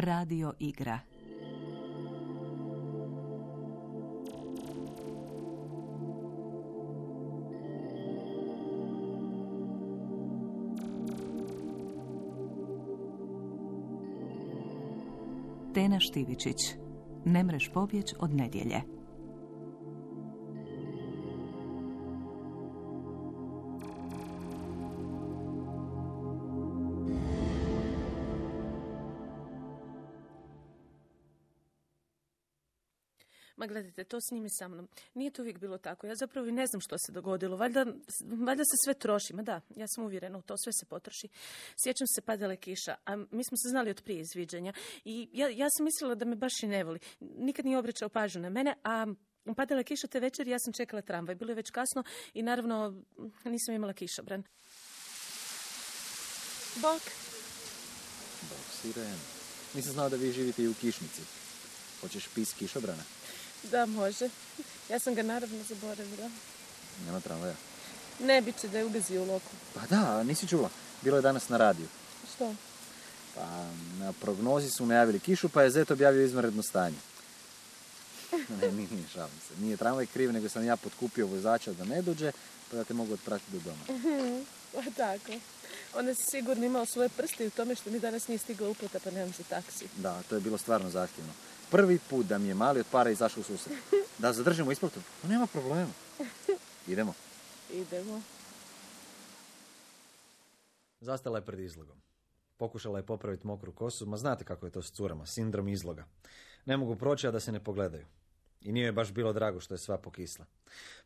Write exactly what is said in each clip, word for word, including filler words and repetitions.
Radio igra. Tena Štivičić. Ne mreš pobjeć od nedjelje. Ma gledajte, to snimi sa mnom. Nije to uvijek bilo tako. Ja zapravo i ne znam što se dogodilo. Valjda, valjda se sve troši. Ma da, ja sam uvjerena u to, sve se potroši. Sjećam se, padala je kiša, a mi smo se znali od prije izviđanja. I ja, ja sam mislila da me baš i ne voli. Nikad nije obraćao pažnju na mene, a padala je kiša te večer i ja sam čekala tramvaj. Bilo je već kasno i naravno nisam imala kišobran. Bok. Bok, Siren. Nisam znao da vi živite i u kišnici. Hoćeš pis kišobrana? Da, može. Ja sam ga naravno zaboravila. Nema tramvaja. Ne, bit će da je ugazio u loku. Pa da, nisi čula. Bilo je danas na radiju. Što? Pa na prognozi su najavili kišu, pa je Zet objavio izvanredno stanje. Ne, nije, šalim se. Nije tramvaj kriv, nego sam ja potkupio vozača da ne dođe, pa da te mogu otpratiti do doma. Pa tako. Onda si sigurno imao svoje prste u tome što mi danas nije stigla uplata, pa nemam za taksi. Da, to je bilo stvarno zahtjevno. Prvi put da mi je mali od para izašao u susret. Da zadržimo isplatu? No, nema problema. Idemo. Idemo. Zastala je pred izlogom. Pokušala je popraviti mokru kosu, ma znate kako je to s curama, sindrom izloga. Ne mogu proći, a da se ne pogledaju. I nije joj baš bilo drago što je sva pokisla.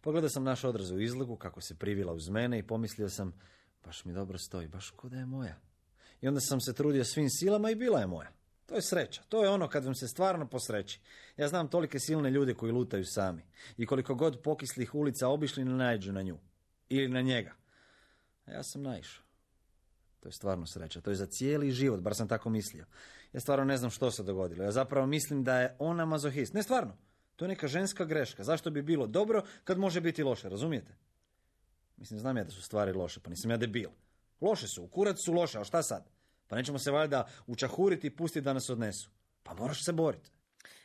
Pogledao sam naš odraz u izlogu, kako se privila uz mene i pomislio sam, baš mi dobro stoji, baš ko da je moja. I onda sam se trudio svim silama i bila je moja. To je sreća. To je ono kad vam se stvarno posreći. Ja znam tolike silne ljude koji lutaju sami. I koliko god pokislih ulica obišli ne naiđu na nju. Ili na njega. A ja sam naišao. To je stvarno sreća. To je za cijeli život, bar sam tako mislio. Ja stvarno ne znam što se dogodilo. Ja zapravo mislim da je ona mazohist. Ne, stvarno. To je neka ženska greška. Zašto bi bilo dobro kad može biti loše, razumijete? Mislim, znam ja da su stvari loše, pa nisam ja debil. Loše su, u kurac su loše, a šta sad? Pa nećemo se valjda učahuriti i pustiti da nas odnesu. Pa moraš se boriti.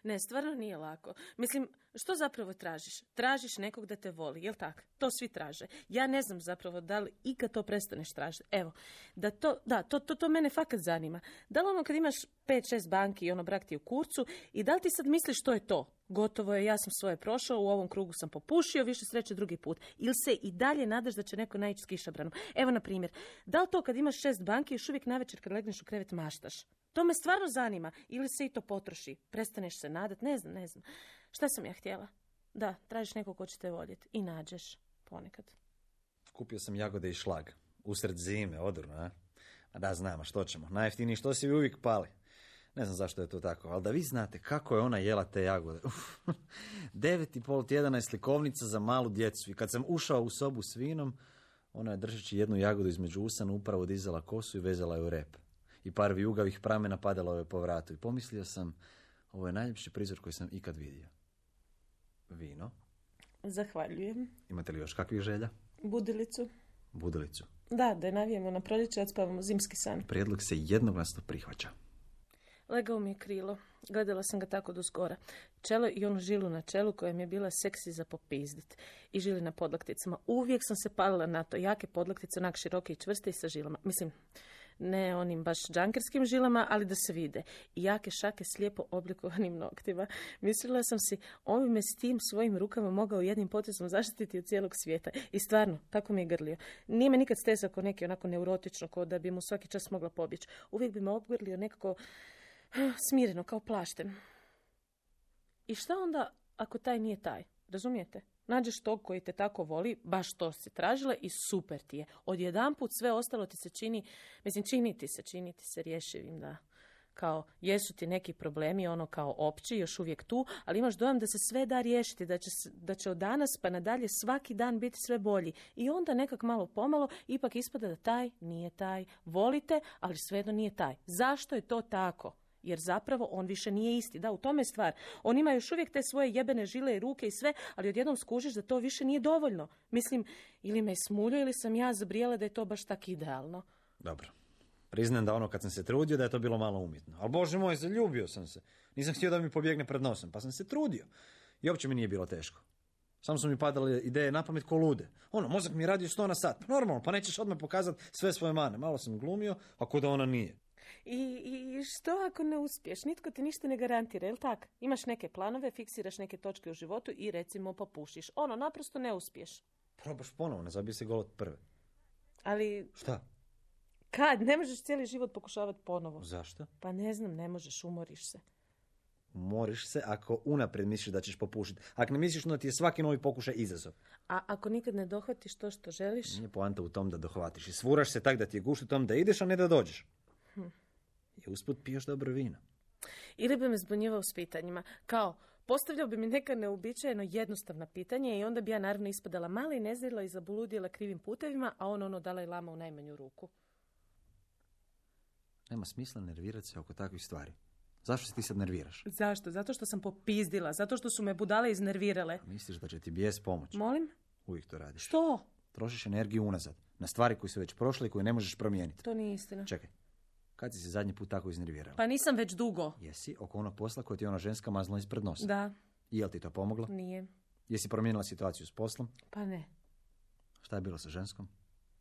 Ne, stvarno nije lako. Mislim, što zapravo tražiš? Tražiš nekog da te voli, jel tak? To svi traže. Ja ne znam zapravo da li ikad to prestaneš tražiti. Evo, da to, da, to, to, to mene fakat zanima. Da li ono kad imaš pet šest banki i ono brak ti u kurcu i da li ti sad misliš što je to? Gotovo je, ja sam svoje prošao, u ovom krugu sam popušio, više sreće drugi put. Ili se i dalje nadaš da će neko naići s kišobranom. Evo, na primjer, da li to kad imaš šest banki još uvijek navečer kad legneš u krevet maštaš? To me stvarno zanima. Ili se i to potroši. Prestaneš se nadat, ne znam, ne znam. Šta sam ja htjela? Da, tražiš nekog ko će te voljeti. I nađeš. Ponekad. Kupio sam jagode i šlag. Usred zime, odurno, a? A da, znam, a što ćemo? Najjeftiniji što si vi uvijek pali. Ne znam zašto je to tako, ali da vi znate kako je ona jela te jagode. Uf, devet i pol tjedana je slikovnica za malu djecu. I kad sam ušao u sobu s vinom, ona je držeći jednu jagodu između usana upravo dizala kosu i vezala je u rep. I par vijugavih pramena padalo je po vratu. I pomislio sam, ovo je najljepši prizor koji sam ikad vidio. Vino. Zahvaljujem. Imate li još kakvih želja? Budilicu. Budilicu. Da, da je navijemo na proljeće, odspavamo zimski san. Prijedlog se jednoglasno prihvaća. Legao mi je krilo. Gledala sam ga tako do skora. Čelo i onu žilu na čelu koja mi je bila seksi za popizdit. I žili na podlakticama. Uvijek sam se palila na to. Jake podlaktice, onak široke i čvrste i sa žilama. Mislim, ne onim baš džankerskim žilama, ali da se vide. I jake šake s lijepo oblikovanim noktima. Mislila sam si, ovime s tim svojim rukama mogao jednim potezom zaštititi od cijelog svijeta. I stvarno, tako mi je grlio. Nije me nikad stezao ko neki onako neurotično, ko da bi mu svaki čas mogla pobjeći. Uvijek bi me obgrlio nekako smireno, kao plašten. I šta onda ako taj nije taj? Razumijete? Nađeš tog koji te tako voli, baš to si tražila i super ti je. Odjedanput sve ostalo ti se čini, mislim, čini ti se, čini ti se rješivim, da. Kao, jesu ti neki problemi, ono kao opći, još uvijek tu, ali imaš dojam da se sve da riješiti, da će, da će od danas pa nadalje svaki dan biti sve bolji. I onda nekak malo pomalo ipak ispada da taj nije taj. Volite, ali svejedno nije taj. Zašto je to tako? Jer zapravo on više nije isti. Da, u tome je stvar. On ima još uvijek te svoje jebene žile i ruke i sve, ali odjednom skužiš da to više nije dovoljno. Mislim, ili me smuljo ili sam ja zabrijala da je to baš tak idealno. Dobro. Priznajem da ono kad sam se trudio da je to bilo malo umjetno. Ali bože moj, zaljubio sam se. Nisam htio da mi pobjegne pred nosem, pa sam se trudio. I uopće mi nije bilo teško. Samo su mi padale ideje na pamet ko lude. Ono, mozak mi je radio sto na sat. Pa normalno, pa nećeš odmah pokazati sve svoje mane. Malo sam glumio, ako da ona nije. I, I što ako ne uspiješ? Nitko ti ništa ne garantira, jel tak? Imaš neke planove, fiksiraš neke točke u životu i recimo popušiš. Ono, naprosto ne uspiješ. Probaš ponovo, ne zabij se gol od prve. Ali... Šta? Kad? Ne možeš cijeli život pokušavati ponovo. Zašto? Pa ne znam, ne možeš, umoriš se. Umoriš se ako unaprijed misliš da ćeš popušiti. Ako ne misliš, onda ti je svaki novi pokušaj izazov. A ako nikad ne dohvatiš to što želiš? Nije poanta u tom da dohvatiš. I svuraš se tak da ti je gušt u tom da ideš, a ne da dođeš. Hm. I usput piješ dobro vino. Ili bi me zbunjivao s pitanjima. Kao, postavljao bi mi neka neuobičajeno jednostavna pitanja i onda bi ja naravno ispadala mala i nezrela i zabuludjela krivim putevima, a on ono Dalaj Lama u najmanju ruku. Nema smisla nervirati se oko takvih stvari. Zašto se ti sad nerviraš? Zašto? Zato što sam popizdila. Zato što su me budale iznervirale. A misliš da će ti bijes pomoći? Molim? Uvijek to radiš. Što? Trošiš energiju unazad. Na stvari koje su već prošle i koje ne možeš promijeniti. To nije istina. Čekaj. Kad si se zadnji put tako iznervirala? Pa nisam već dugo. Jesi oko onog posla koje ti je ona ženska mazla ispred nosa? Da. I jel ti to pomoglo? Nije. Jesi promijenila situaciju s poslom? Pa ne. Šta je bilo sa ženskom?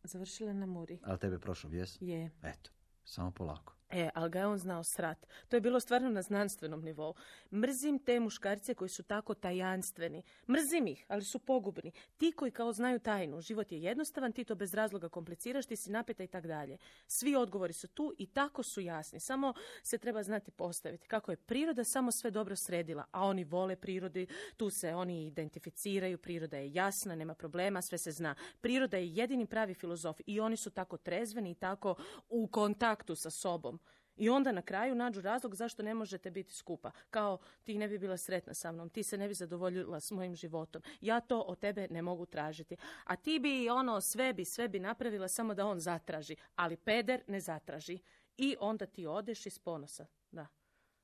Završila na Muri. Ali tebe prošao bijes? Je. Eto, samo polako. E, ali ga je on znao srat. To je bilo stvarno na znanstvenom nivou. Mrzim te muškarce koji su tako tajanstveni. Mrzim ih, ali su pogubni. Ti koji kao znaju tajnu. Život je jednostavan, ti to bez razloga kompliciraš, ti si napeta i tak dalje. Svi odgovori su tu i tako su jasni. Samo se treba znati postaviti. Kako je priroda samo sve dobro sredila, a oni vole prirodi, tu se oni identificiraju, priroda je jasna, nema problema, sve se zna. Priroda je jedini pravi filozof i oni su tako trezveni i tako u kontaktu sa sobom. I onda na kraju nađu razlog zašto ne možete biti skupa. Kao, ti ne bi bila sretna sa mnom, ti se ne bi zadovoljila s mojim životom. Ja to od tebe ne mogu tražiti. A ti bi, ono, sve bi, sve bi napravila samo da on zatraži. Ali peder ne zatraži. I onda ti odeš iz ponosa. Da.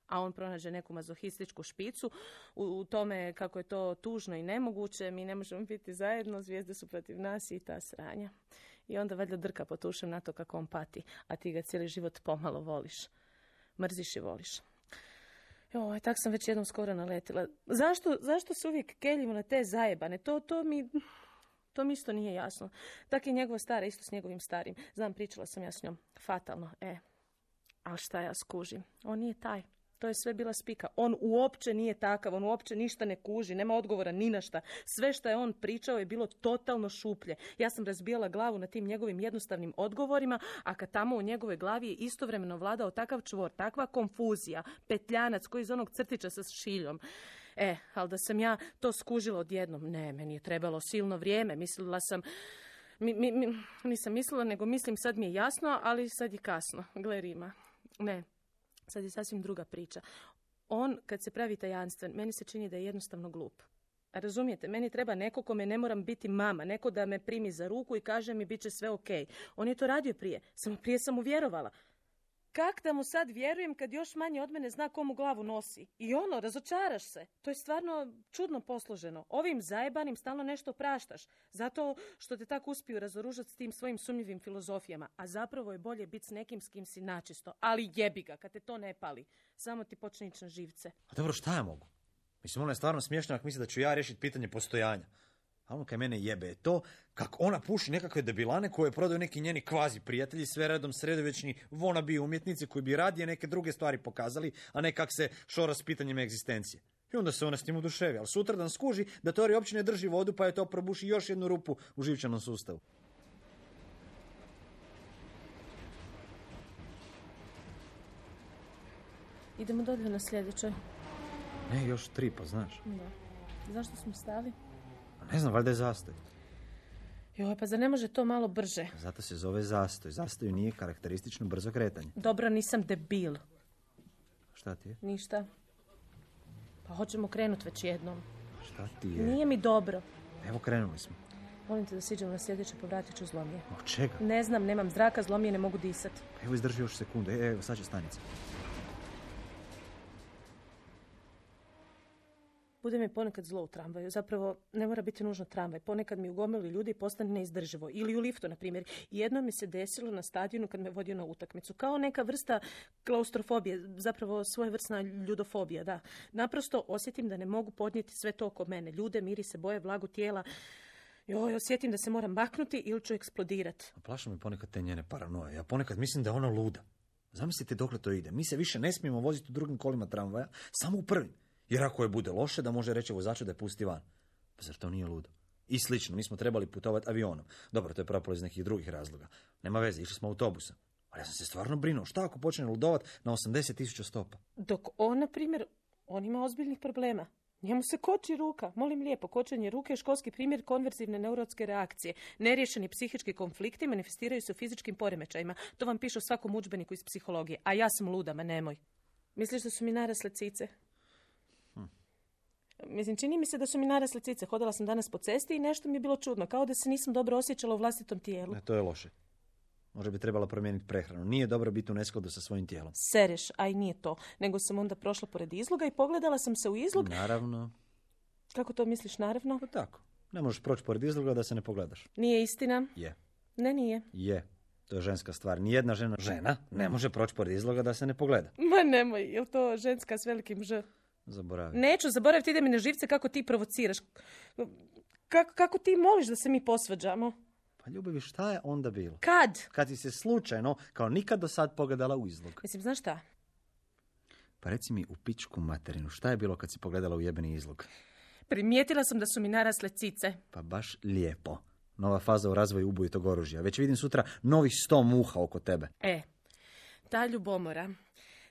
A on pronađe neku mazohističku špicu u, u tome kako je to tužno i nemoguće. Mi ne možemo biti zajedno, zvijezde su protiv nas i ta sranja. I onda valjda drka po tušem na to kako on pati, a ti ga cijeli život pomalo voliš. Mrziš i voliš. Joj, tak sam već jednom skoro naletila. Zašto, zašto se uvijek keljimo na te zajebane? To, to mi... To mi isto nije jasno. Tak je njegova stara, isto s njegovim starim. Znam, pričala sam ja s njom. Fatalno, e. Ali šta ja skužim? On nije taj. To je sve bila spika. On uopće nije takav, on uopće ništa ne kuži, nema odgovora ni na šta. Sve što je on pričao je bilo totalno šuplje. Ja sam razbijala glavu na tim njegovim jednostavnim odgovorima, a kad tamo u njegovoj glavi je istovremeno vladao takav čvor, takva konfuzija, petljanac koji iz onog crtića sa šiljom. E, ali da sam ja to skužila odjednom, ne, meni je trebalo silno vrijeme, mislila sam... Mi, mi, mi, nisam mislila, nego mislim sad mi je jasno, ali sad je kasno. Gle Rima. Ne. Sad je sasvim druga priča. On, kad se pravi tajanstven, meni se čini da je jednostavno glup. A razumijete, meni treba neko kome ne moram biti mama, neko da me primi za ruku i kaže mi bit će sve okej. On je to radio prije, samo prije sam mu vjerovala. Kak da mu sad vjerujem kad još manje od mene zna komu glavu nosi? I ono, razočaraš se. To je stvarno čudno posloženo. Ovim zajebanim stalno nešto praštaš. Zato što te tako uspiju razoružati s tim svojim sumnjivim filozofijama. A zapravo je bolje biti s nekim s kim si načisto. Ali jebi ga, kad te to ne pali. Samo ti počne ići na živce. A dobro, šta ja mogu? Mislim, ono je stvarno smiješno ako misli da ću ja riješiti pitanje postojanja. A ono kaj mene jebe je to kako ona puši nekakve debilane koje prodaju neki njeni kvazi prijatelji, sve redom sredovječni wannabe umjetnici koji bi radije neke druge stvari pokazali, a ne kak se šora s pitanjem egzistencije. I onda se ona s tim oduševi, ali sutradan skuži da teorija uopće ne drži vodu, pa je to probuši još jednu rupu u živčanom sustavu. Idemo dolje na sljedećoj. Ne, još tri, pa znaš. Da. Zašto smo stali? Ne znam, valjda je zastoj. Joj, pa zar ne može to malo brže? Zato se zove zastoj. Zastoju nije karakteristično brzo kretanje. Dobro, nisam debil. Šta ti je? Ništa. Pa hoćemo krenut već jednom. Šta ti je? Nije mi dobro. Evo, krenuli smo. Molim te da siđemo na sljedeće, povratit ću zlomije. Od čega? Ne znam, nemam zraka, zlomije, ne mogu disat. Evo, izdrži još sekundu. E, evo, sad će stanica. Bude mi ponekad zlo u tramvaju. Zapravo, ne mora biti nužno tramvaj. Ponekad mi u gomilu ljudi postane neizdrživo. Ili u liftu, na primjer. Jedno mi se desilo na stadionu kad me vodio na utakmicu. Kao neka vrsta klaustrofobije. Zapravo svojevrsna ljudofobija, da. Naprosto osjetim da ne mogu podnijeti sve to oko mene. Ljude, mirise, boje, vlagu tijela. Joj, osjetim da se moram maknuti ili ću eksplodirati. Plaša me ponekad te njene paranoje. Ja ponekad mislim da je ona luda. Zamislite dokle to ide. Mi se više ne smijemo voziti u drugim kolima tramvaja, samo u prvim. Jer ako je bude loše, da može reći vozaču da je pusti van. Pa zar to nije ludo? I slično, mi smo trebali putovati avionom. Dobro, to je propalo iz nekih drugih razloga. Nema veze, išli smo autobusom. Ali ja sam se stvarno brinuo. Šta ako počne ludovat na osamdeset tisuća stopa? Dok on, na primjer, on ima ozbiljnih problema. Njemu se koči ruka. Molim lijepo, kočenje ruke je školski primjer konverzivne neurotske reakcije. Neriješeni psihički konflikti manifestiraju se u fizičkim poremećajima. To vam piše u svakom udžbeniku iz psihologije. A ja sam luda, ma nemoj. Misliš da su mi narasle cice? Hm. Mislim, čini mi se da su mi narasle cice. Hodala sam danas po cesti i nešto mi je bilo čudno. Kao da se nisam dobro osjećala u vlastitom tijelu. Ne, to je loše. Možda bi trebala promijeniti prehranu. Nije dobro biti u neskladu sa svojim tijelom. Sereš, a i nije to. Nego sam onda prošla pored izloga i pogledala sam se u izlog. Naravno. Kako to misliš, naravno? Pa tako. Ne možeš proći pored izloga da se ne pogledaš. Nije istina? Je. Ne, nije. Je. To je ženska stvar. Nijedna žena, žena ne može proći pored izloga da se ne pogleda. Ma nemoj, je li to ženska s velikim ž? Zaboravi. Neću zaboraviti, ide mi na živce kako ti provociraš. Kako, kako ti moliš da se mi posvađamo? Pa ljubavi, šta je onda bilo? Kad? Kad si se slučajno, kao nikad do sad, pogledala u izlog. Mislim, znaš šta? Pa reci mi u pičku materinu, šta je bilo kad si pogledala u jebeni izlog? Primijetila sam da su mi narasle cice. Pa baš lijepo. Nova faza u razvoju ubojitog oružja. Već vidim sutra novih sto muha oko tebe. E, ta ljubomora...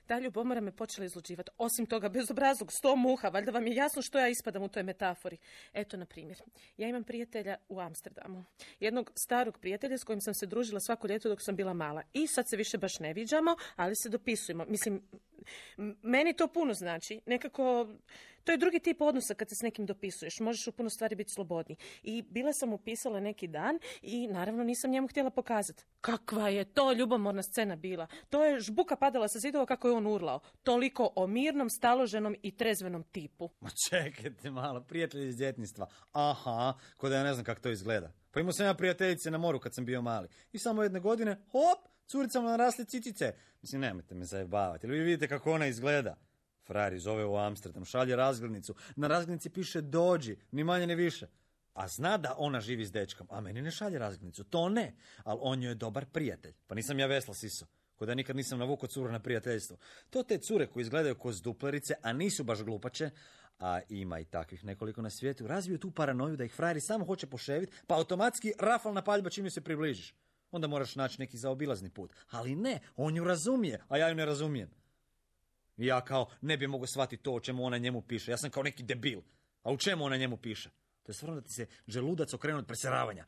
Ta ljubomora me počela izluđivati. Osim toga, bezobrazlog, sto muha, valjda vam je jasno što ja ispadam u toj metafori. Eto, na primjer, ja imam prijatelja u Amsterdamu. Jednog starog prijatelja s kojim sam se družila svako ljeto dok sam bila mala. I sad se više baš ne viđamo, ali se dopisujemo. Mislim, meni to puno znači. Nekako, to je drugi tip odnosa kad se s nekim dopisuješ. Možeš u puno stvari biti slobodni. I bila sam mu pisala neki dan i naravno nisam njemu htjela pokazati. Kakva je to ljubomorna scena bila. To je žbuka padala sa zidova kako je on urlao. Toliko o mirnom, staloženom i trezvenom tipu. Ma čekajte malo, prijatelji iz djetinjstva. Aha, ko da ja ne znam kako to izgleda. Pa imao sam ja prijateljice na moru kad sam bio mali. I samo jedne godine, hop, curicama narasle cicice. Mislim, nemojte me zajebavati. Ili vi vidite kako ona izgleda. Frari zove u Amsterdam, šalje razglednicu. Na razglednici piše dođi, ni manje ni više. A zna da ona živi s dečkom, a meni ne šalje razglednicu. To ne, ali on joj je dobar prijatelj. Pa nisam ja vesla siso. Ko da nikad nisam navukao curu na prijateljstvo. To te cure koji izgledaju ko zduplerice, a nisu baš glupače, a ima i takvih nekoliko na svijetu, razviju tu paranoju da ih frajeri samo hoće poševiti, pa automatski rafalna paljba čim joj se približiš. Onda moraš naći neki zaobilazni put. Ali ne, on ju razumije, a ja ju ne razumijem. I ja kao ne bi mogao shvatiti to o čemu ona njemu piše. Ja sam kao neki debil. A u čemu ona njemu piše? To je stvarno da ti se želudac okrenu od preseravanja.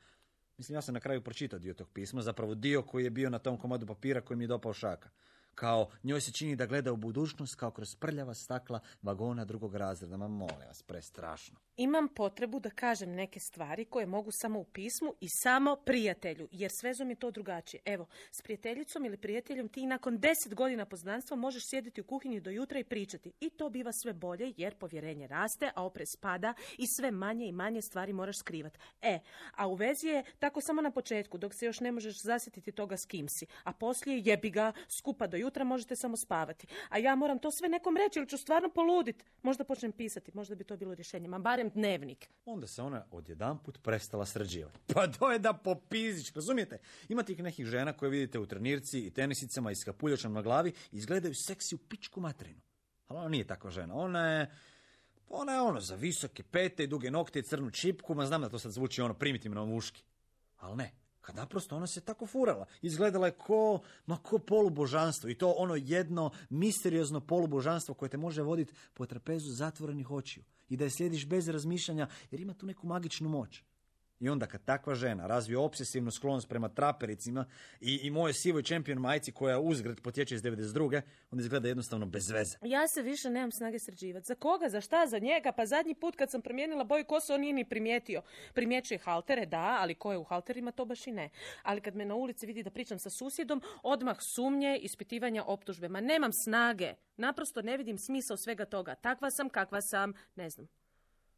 Mislim, ja sam na kraju pročitao dio tog pisma, zapravo dio koji je bio na tom komadu papira koji mi je dopao šaka. Kao, njoj se čini da gleda u budućnost kao kroz prljava stakla vagona drugog razreda. Ma molim vas, prestrašno. Imam potrebu da kažem neke stvari koje mogu samo u pismu i samo prijatelju, jer s vezom je to drugačije. Evo, s prijateljicom ili prijateljom ti nakon deset godina poznanstva možeš sjediti u kuhinji do jutra i pričati. I to biva sve bolje jer povjerenje raste, a oprez pada i sve manje i manje stvari moraš skrivati. E, a u vezi je tako samo na početku, dok se još ne možeš zasjetiti toga s kim si. A poslije jebi ga, skupa do jutra možete samo spavati. A ja moram to sve nekom reći ili ću stvarno poludit. Možda počnem pisati, možda bi to bilo rješenje. Ma barem dnevnik. Onda se ona odjedanput prestala sređivati. Pa to je da popizić, razumijete? Ima tih nekih žena koje vidite u trenirci i tenisicama i s kapuljačom na glavi i izgledaju seksi u pičku materinu. Ali ona nije takva žena. Ona je, ona je ono za visoke pete i duge nokte i crnu čipku, ma znam da to sad zvuči ono primitivno muški. Ali ne. Kad naprosto ona se tako furala. Izgledala je ko, ma ko polubožanstvo. I to ono jedno misteriozno polubožanstvo koje te može voditi po trapezu zatvorenih očiju. I da je slijediš bez razmišljanja jer ima tu neku magičnu moć. I onda kad takva žena razvije obsesivnu sklonost prema trapericima i, i moje sivoj čempion majci koja uzgred potječe iz devedeset druge, onda izgleda jednostavno bez veze. Ja se više nemam snage sređivati. Za koga? Za šta? Za njega? Pa zadnji put kad sam promijenila boju kose on nije ni primijetio. Primjećuje haltere, da, ali ko je u halterima to baš i ne. Ali kad me na ulici vidi da pričam sa susjedom, odmah sumnje, ispitivanja, optužbe. Ma nemam snage. Naprosto ne vidim smisao svega toga. Takva sam, kakva sam, ne znam.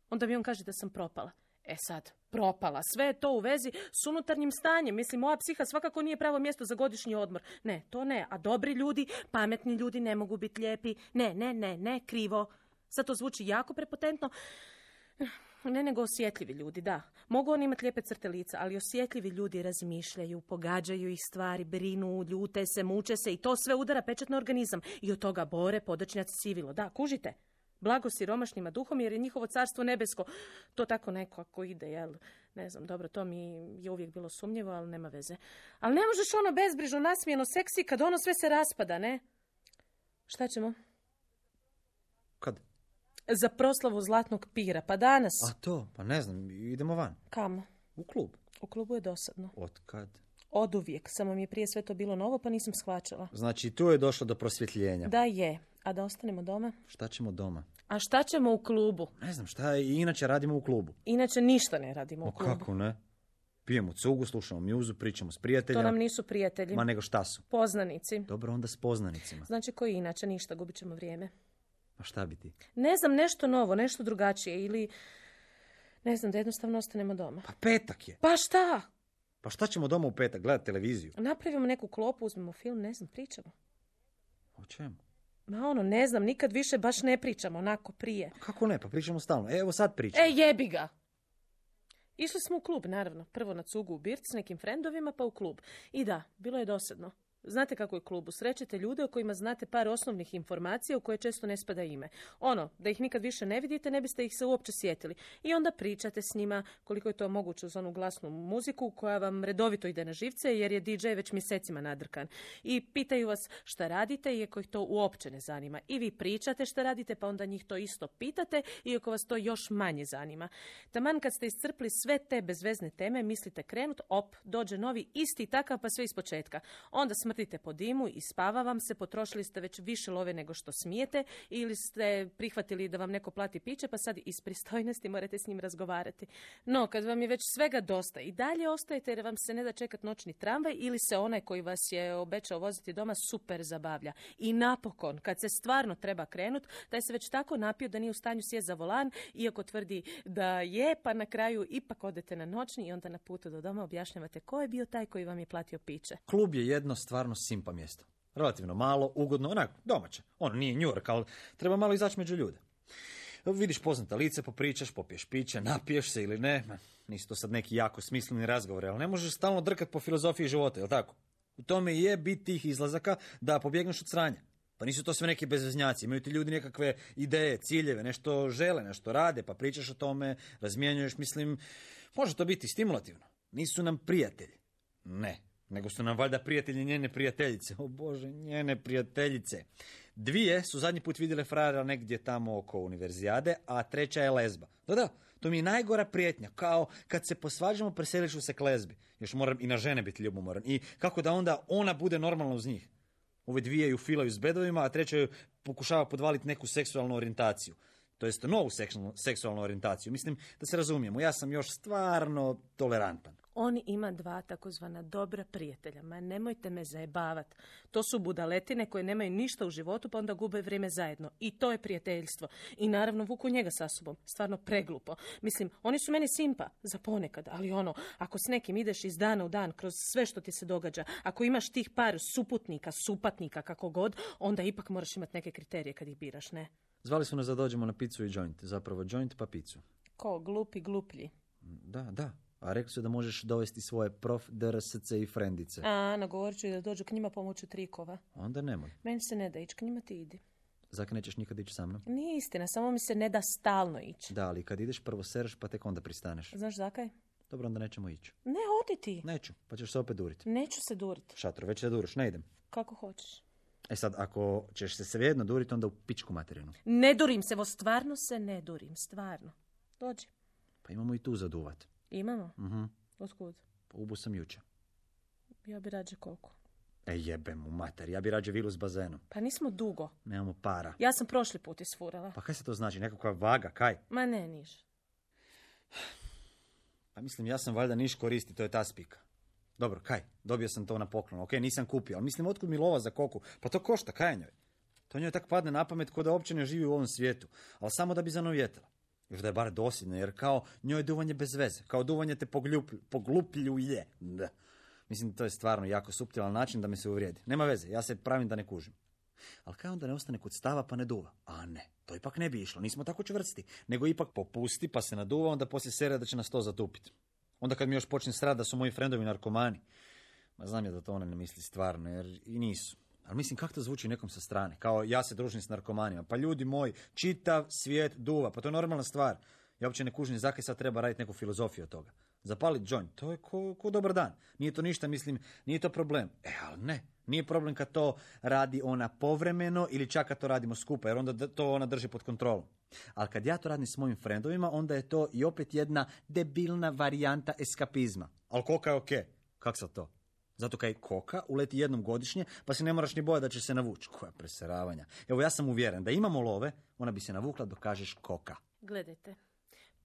Onda mi on kaže da sam propala. E sad, propala. Sve je to u vezi s unutarnjim stanjem. Mislim, moja psiha svakako nije pravo mjesto za godišnji odmor. Ne, to ne. A dobri ljudi, pametni ljudi ne mogu biti lijepi. Ne, ne, ne, ne, krivo. Sad to zvuči jako prepotentno. Ne, nego osjetljivi ljudi, da. Mogu oni imati lijepe crte lica, ali osjetljivi ljudi razmišljaju, pogađaju ih stvari, brinu, ljute se, muče se i to sve udara pečat na organizam. I od toga bore, podočnjaci, sivilo. Da, kužite? Blago siromašnima duhom jer je njihovo carstvo nebesko. To tako nekako ide, jel? Ne znam, dobro, to mi je uvijek bilo sumnjivo, ali nema veze. Ali ne možeš ono bezbrižno, nasmijeno, seksi kad ono sve se raspada, ne? Šta ćemo? Kad? Za proslavu Zlatnog pira, pa danas. A to, pa ne znam, idemo van. Kamo? U klub. U klubu je dosadno. Od kad? Od uvijek, samo mi je prije sve to bilo novo, pa nisam shvaćala. Znači, tu je došlo do prosvjetljenja. Da je, a da ostanemo doma? Šta ćemo doma? A šta ćemo u klubu? Ne znam, šta i inače radimo u klubu. Inače ništa ne radimo u O klubu. kako ne? Pijemo cugu, slušamo mjuzu, pričamo s prijateljima. To nam nisu prijatelji. Ma nego šta su? Poznanici. Dobro, onda s poznanicima. Znači koji inače ništa, gubit ćemo vrijeme. A šta bi ti? Ne znam, nešto novo, nešto drugačije ili ne znam, da jednostavno ostanemo doma. Pa petak je. Pa šta? Pa šta ćemo doma u petak, gledati televiziju? Napravimo neku klopu, uzmemo film, ne znam, pričamo. O čemu? Ma ono, ne znam, nikad više baš ne pričamo, onako prije. Pa kako ne, pa pričamo stalno. Evo sad pričamo. E, jebi ga! Išli smo u klub, naravno. Prvo na cugu u Birc s nekim frendovima, pa u klub. I da, bilo je dosadno. Znate kako je klubu? Srećete ljude o kojima znate par osnovnih informacija u koje često ne spada ime. Ono, da ih nikad više ne vidite, ne biste ih se uopće sjetili. I onda pričate s njima koliko je to moguće uz onu glasnu muziku koja vam redovito ide na živce jer je di džej već mjesecima nadrkan. I pitaju vas šta radite iako ih to uopće ne zanima. I vi pričate šta radite pa onda njih to isto pitate iako vas to još manje zanima. Taman kad ste iscrpli sve te bezvezne teme, mislite krenut, op, dođe novi isti takav pa sve ispočetka. Onda smrtite po dimu i spava vam se, potrošili ste već više love nego što smijete ili ste prihvatili da vam neko plati piće pa sad iz pristojnosti morate s njim razgovarati. No, kad vam je već svega dosta i dalje ostajete jer vam se ne da čekat noćni tramvaj ili se onaj koji vas je obećao voziti doma super zabavlja. I napokon, kad se stvarno treba krenut, taj se već tako napio da nije u stanju sjest za volan, iako tvrdi da je, pa na kraju ipak odete na noćni i onda na putu do doma objašnjavate ko je bio taj koji vam je platio piće. Klub je jedno stvarno simpa mjesto. Relativno malo, ugodno, onako, domaće. Ono nije New York, ali treba malo izaći među ljude. Vidiš poznata lice, popričaš, popiješ piće, napiješ se ili ne. Ma, nisu to sad neki jako smisleni razgovori, ali ne možeš stalno drkat po filozofiji života, jel tako? U tome je bit tih izlazaka da pobjegneš od sranja. Pa nisu to sve neki bezveznjaci, imaju ti ljudi nekakve ideje, ciljeve, nešto žele, nešto rade, pa pričaš o tome, razmjenjuješ, mislim, može to biti stimulativno. Nisu nam prijatelji. Ne. Nego su nam valjda prijatelji njene prijateljice. O Bože, njene prijateljice. Dvije su zadnji put vidjele frajera negdje tamo oko univerzijade, a treća je lezba. Da, da, to mi je najgora prijetnja. Kao kad se posvađamo, preseliš se k lezbi. Još moram i na žene biti ljubomoran. I kako da onda ona bude normalna uz njih. Ove dvije ju filaju s bedovima, a treća ju pokušava podvaliti neku seksualnu orijentaciju. To jest novu seksualnu, seksualnu orijentaciju. Mislim da se razumijemo, ja sam još stvarno tolerantan. On ima dva takozvana dobra prijatelja, ma nemojte me zajebavat. To su budaletine koje nemaju ništa u životu pa onda gube vrijeme zajedno. I to je prijateljstvo. I naravno vuku njega sa sobom. Stvarno preglupo. Mislim, oni su meni simpa za ponekad, ali ono, ako s nekim ideš iz dana u dan kroz sve što ti se događa, ako imaš tih par suputnika, supatnika, kako god, onda ipak moraš imati neke kriterije kad ih biraš, ne? Zvali su nas da dođemo na picu i joint. Zapravo joint pa picu. Ko, glupi, gluplji? Da, da. A rekli su da možeš dovesti svoje prof, drsce i frendice. A, nagovorit ću i da dođu k njima pomoću trikova. Onda nemoj. Meni se ne da ići, k njima ti idi. Zaka nećeš nikad ići sa mnom? Nije istina, samo mi se ne da stalno ići. Da, ali kad ideš prvo sereš pa tek onda pristaneš. Znaš zakaj? Dobro, onda nećemo ići. Ne, odi ti. Neću, pa ćeš se opet duriti. Neću se duriti. Šatro, već se duriš, ne idem. Kako hoćeš. E sad, ako ćeš se svejedno duriti, onda u pičku materinu. Ne durim se, vo stvarno se ne durim, stvarno. Dođi. Pa imamo i tu zaduvat. Imamo? Mhm. Otkud? Pa ubu sam juče. Ja bi rađe koliko. E jebe mu mater, ja bi rađe vilu s bazenom. Pa nismo dugo. Nemamo para. Ja sam prošli put isfurala. Pa kaj se to znači, nekakva vaga, kaj? Ma ne, niš. Pa mislim, ja sam valjda niš koristi, to je ta spika. Dobro, kaj, dobio sam to na poklon, ok, nisam kupio, ali mislim, otkud mi lova za koku? Pa to košta, kaj njoj? To njoj tak padne na pamet ko da uopće ne živi u ovom svijetu, ali samo da bi zanovjetala. Još da je bar dosljedno, jer kao njoj je duvanje bez veze. Kao duvanje te pogljuplju, poglupljuje. Da. Mislim, to je stvarno jako suptilan način da me se uvrijedi. Nema veze, ja se pravim da ne kužim. Ali kaj onda ne ostane kod stava pa ne duva? A ne, to ipak ne bi išlo, nismo tako čvrsti. Nego ipak popusti pa se naduva, onda poslije sere da će nas to zatupiti. Onda kad mi još počne srati da su moji frendovi narkomani. Ma znam ja da to ona ne misli stvarno, jer i nisu. Ali mislim, kako to zvuči nekom sa strane? Kao ja se družim s narkomanima. Pa ljudi moji, čitav svijet duva, pa to je normalna stvar. Ja uopće ne kužim zakaj sad treba raditi neku filozofiju od toga. Zapalit joint, to je ko, ko dobar dan. Nije to ništa, mislim, nije to problem. E, ali ne, nije problem kad to radi ona povremeno ili čak kad to radimo skupa, jer onda to ona drži pod kontrolom. Ali kad ja to radim s mojim frendovima, onda je to i opet jedna debilna varijanta eskapizma. Ali koka je okej. Kak sad to? Zato kaj koka uleti jednom godišnje, pa se ne moraš ni bojati da će se navući. Koja preseravanja. Evo, ja sam uvjeren da imamo love, ona bi se navukla dok kažeš koka. Gledajte,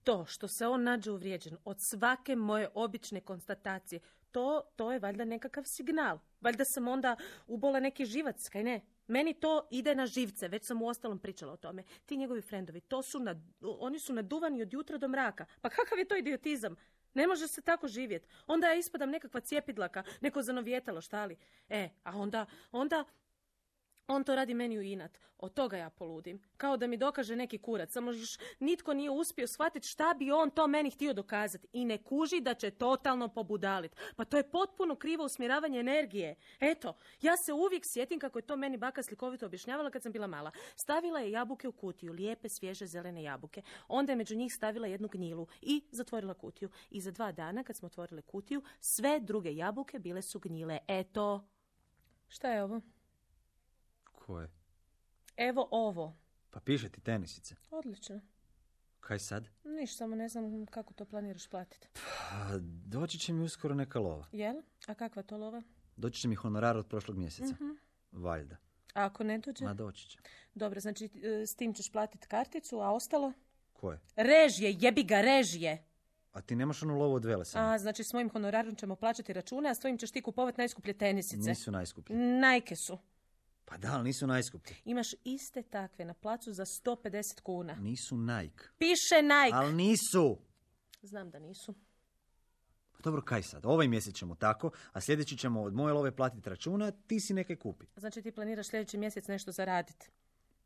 to što se on nađe uvrijeđen od svake moje obične konstatacije, to, to je valjda nekakav signal. Valjda sam onda ubola neki živac, kaj ne? Meni to ide na živce, već sam u ostalom pričala o tome. Ti njegovi frendovi, to su nad, oni su naduvani od jutra do mraka. Pa kakav je to idiotizam? Ne može se tako živjeti. Onda ja ispadam nekakva cijepidlaka, neko zanovjetalo, šta li? E, a onda, onda... On to radi meni u inat. Od toga ja poludim. Kao da mi dokaže neki kurac. Samo još nitko nije uspio shvatiti šta bi on to meni htio dokazati. I ne kuži da će totalno pobudaliti. Pa to je potpuno krivo usmjeravanje energije. Eto, ja se uvijek sjetim kako je to meni baka slikovito objašnjavala kad sam bila mala. Stavila je jabuke u kutiju, lijepe, svježe, zelene jabuke. Onda je među njih stavila jednu gnjilu i zatvorila kutiju. I za dva dana kad smo otvorile kutiju, sve druge jabuke bile su gnjile. Eto. Šta je ovo? Koje? Evo ovo. Pa piše ti tenisice. Odlično. Kaj sad? Niš, samo ne znam kako to planiraš platiti. Pa, doći će mi uskoro neka lova. Jel? A kakva to lova? Doći će mi honorar od prošlog mjeseca. Mm-hmm. Valjda. A ako ne dođe? Ma doći će. Dobro, znači s tim ćeš platiti karticu, a ostalo? Koje? Režije, jebi ga, režije. A ti nemaš onu lovu od Velesana? A, znači s mojim honorarom ćemo plaćati račune, a s tvojim ćeš ti kupovati najskuplje tenisice. Nisu najskuplje. Nike su. Pa da, ali nisu najskuplji. Imaš iste takve na placu za sto pedeset kuna. Nisu Nike. Piše Nike. Ali nisu. Znam da nisu. Pa dobro, kaj sad? Ovaj mjesec ćemo tako, a sljedeći ćemo od moje love platiti računa, ti si neke kupi. Znači ti planiraš sljedeći mjesec nešto zaraditi.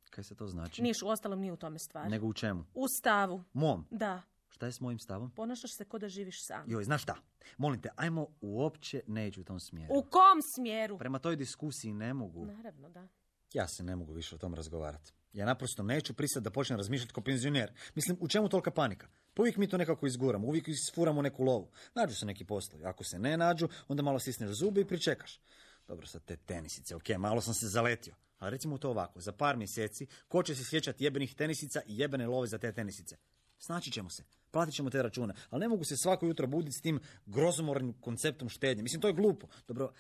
Kaj se to znači? Niš, uostalom nije u tome stvar. Nego u čemu? U stavu. Mom? Da. Šta je s mojim stavom? Ponašaš se ko da živiš sam. Joj, znaš šta? Molim te, ajmo uopće ne ići u tom smjeru. U kom smjeru? Prema toj diskusiji ne mogu. Naravno, da. Ja se ne mogu više o tom razgovarati. Ja naprosto neću pristati da počnem razmišljati kao penzioner. Mislim, u čemu tolika panika? Pa uvijek mi to nekako izguramo, uvijek isfuramo neku lovu. Nađu se neki poslovi. Ako se ne nađu, onda malo stisneš zubi i pričekaš. Dobro, sad te tenisice, ok, malo sam se zaletio. Ali recimo to ovako, za par mjeseci, ko će se sjećati jebenih tenisica i jebene love za te tenisice? Snaći ćemo se, platit ćemo te račune, ali ne mogu se svako jutro buditi s tim grozomornim konceptom štednje. Mislim, to je glupo. Dobro,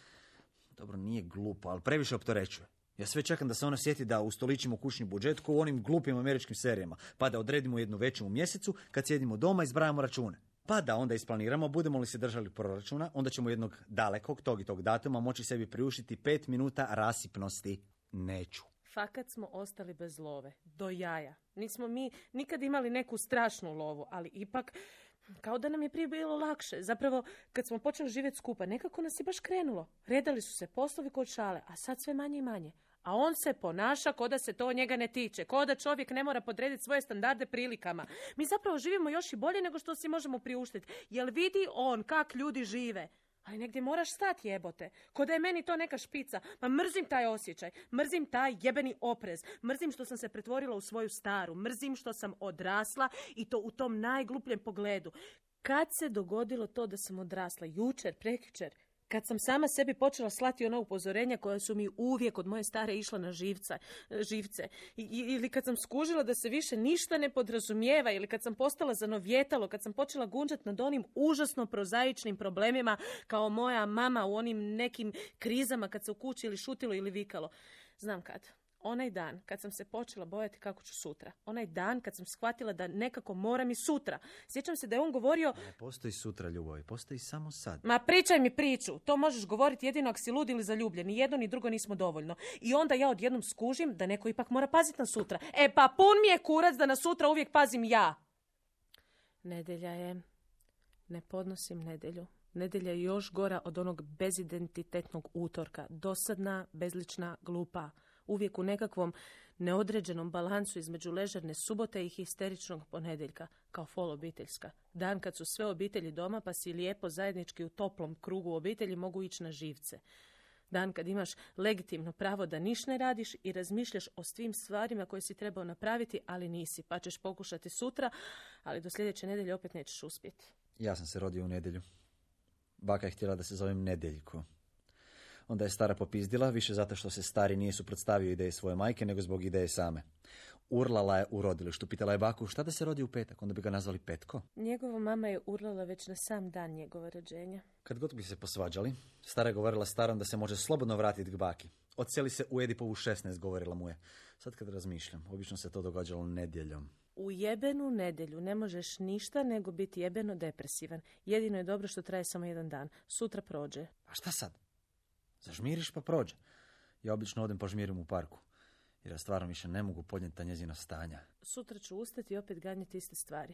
dobro, nije glupo, ali previše opterećuje. Ja sve čekam da se ona sjeti da ustoličimo kućni budžet kao u onim glupim američkim serijama, pa da odredimo jednu veću u mjesecu, kad sjedimo doma i zbrajamo račune. Pa da onda isplaniramo, budemo li se držali proračuna, onda ćemo jednog dalekog tog i tog datuma moći sebi priuštiti pet minuta rasipnosti. Neću. Fakat smo ostali bez love. Do jaja. Nismo mi nikad imali neku strašnu lovu, ali ipak kao da nam je prije bilo lakše. Zapravo, kad smo počeli živjeti skupa, nekako nas je baš krenulo. Redali su se poslovi kod šale, a sad sve manje i manje. A on se ponaša ko da se to njega ne tiče, ko da čovjek ne mora podrediti svoje standarde prilikama. Mi zapravo živimo još i bolje nego što si možemo priuštiti. Jel vidi on kak ljudi žive? Ali negdje moraš stati, jebote. Ko da je meni to neka špica. Ma mrzim taj osjećaj. Mrzim taj jebeni oprez. Mrzim što sam se pretvorila u svoju staru. Mrzim što sam odrasla i to u tom najglupljem pogledu. Kad se dogodilo to da sam odrasla? Jučer, prekjučer? Kad sam sama sebi počela slati ona upozorenja koja su mi uvijek od moje stare išla na živca, živce. I, ili kad sam skužila da se više ništa ne podrazumijeva, ili kad sam postala zanovjetalo, kad sam počela gunđati nad onim užasno prozaičnim problemima kao moja mama u onim nekim krizama kad se u kući ili šutilo ili vikalo. Znam kad. Onaj dan kad sam se počela bojati kako ću sutra. Onaj dan kad sam shvatila da nekako moram i sutra. Sjećam se da je on govorio... Ne postoji sutra, ljubavi, postoji samo sad. Ma pričaj mi priču. To možeš govoriti jedino ako si lud ili zaljubljen. Ni jedno ni drugo nismo dovoljno. I onda ja odjednom skužim da neko ipak mora paziti na sutra. E pa pun mi je kurac da na sutra uvijek pazim ja. Nedjelja je. Ne podnosim nedjelju. Nedjelja je još gora od onog bezidentitetnog utorka. Dosadna, bezlična, glupa. Uvijek u nekakvom neodređenom balansu između ležerne subote i histeričnog ponedjeljka, kao fol obiteljska. Dan kad su sve obitelji doma pa si lijepo zajednički u toplom krugu obitelji mogu ići na živce. Dan kad imaš legitimno pravo da niš ne radiš i razmišljaš o svim stvarima koje si trebao napraviti, ali nisi, pa ćeš pokušati sutra, ali do sljedeće nedjelje opet nećeš uspjeti. Ja sam se rodio u nedjelju. Baka je htjela da se zovem Nedjeljko. Onda je stara popizdila, više zato što se stari nije suprotstavio ideji svoje majke, nego zbog ideje same. Urlala je u rodilištu, pitala je baku šta da se rodi u petak, onda bi ga nazvali Petko. Njegova mama je urlala već na sam dan njegova rođenja. Kad god bi se posvađali, stara je govorila starom da se može slobodno vratiti k baki. Odseli se u Edipovu šesnaest, govorila mu je. Sad kad razmišljam, obično se to događalo nedjeljom. U jebenu nedjelju ne možeš ništa nego biti jebeno depresivan. Jedino je dobro što traje samo jedan dan. Sutra prođe. A šta sad? Zažmiriš pa prođe. Ja obično odem požmirim u parku. Jer ja stvarno više ne mogu podnijeti ta njezina stanja. Sutra ću ustati i opet ganjati iste stvari.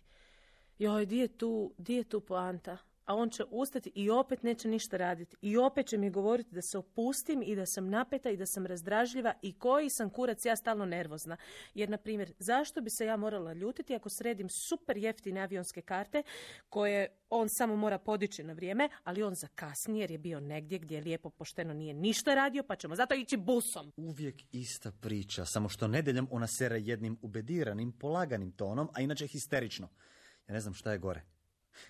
Joj, di je tu, di je tu poanta? A on će ustati i opet neće ništa raditi. I opet će mi govoriti da se opustim i da sam napeta i da sam razdražljiva i koji sam kurac ja stalno nervozna. Jer, na primjer, zašto bi se ja morala ljutiti ako sredim super jeftine avionske karte koje on samo mora podići na vrijeme, ali on zakasni jer je bio negdje gdje lijepo pošteno nije ništa radio, pa ćemo zato ići busom. Uvijek ista priča, samo što nedjeljom ona sere jednim ubediranim, polaganim tonom, a inače histerično. Ja ne znam šta je gore.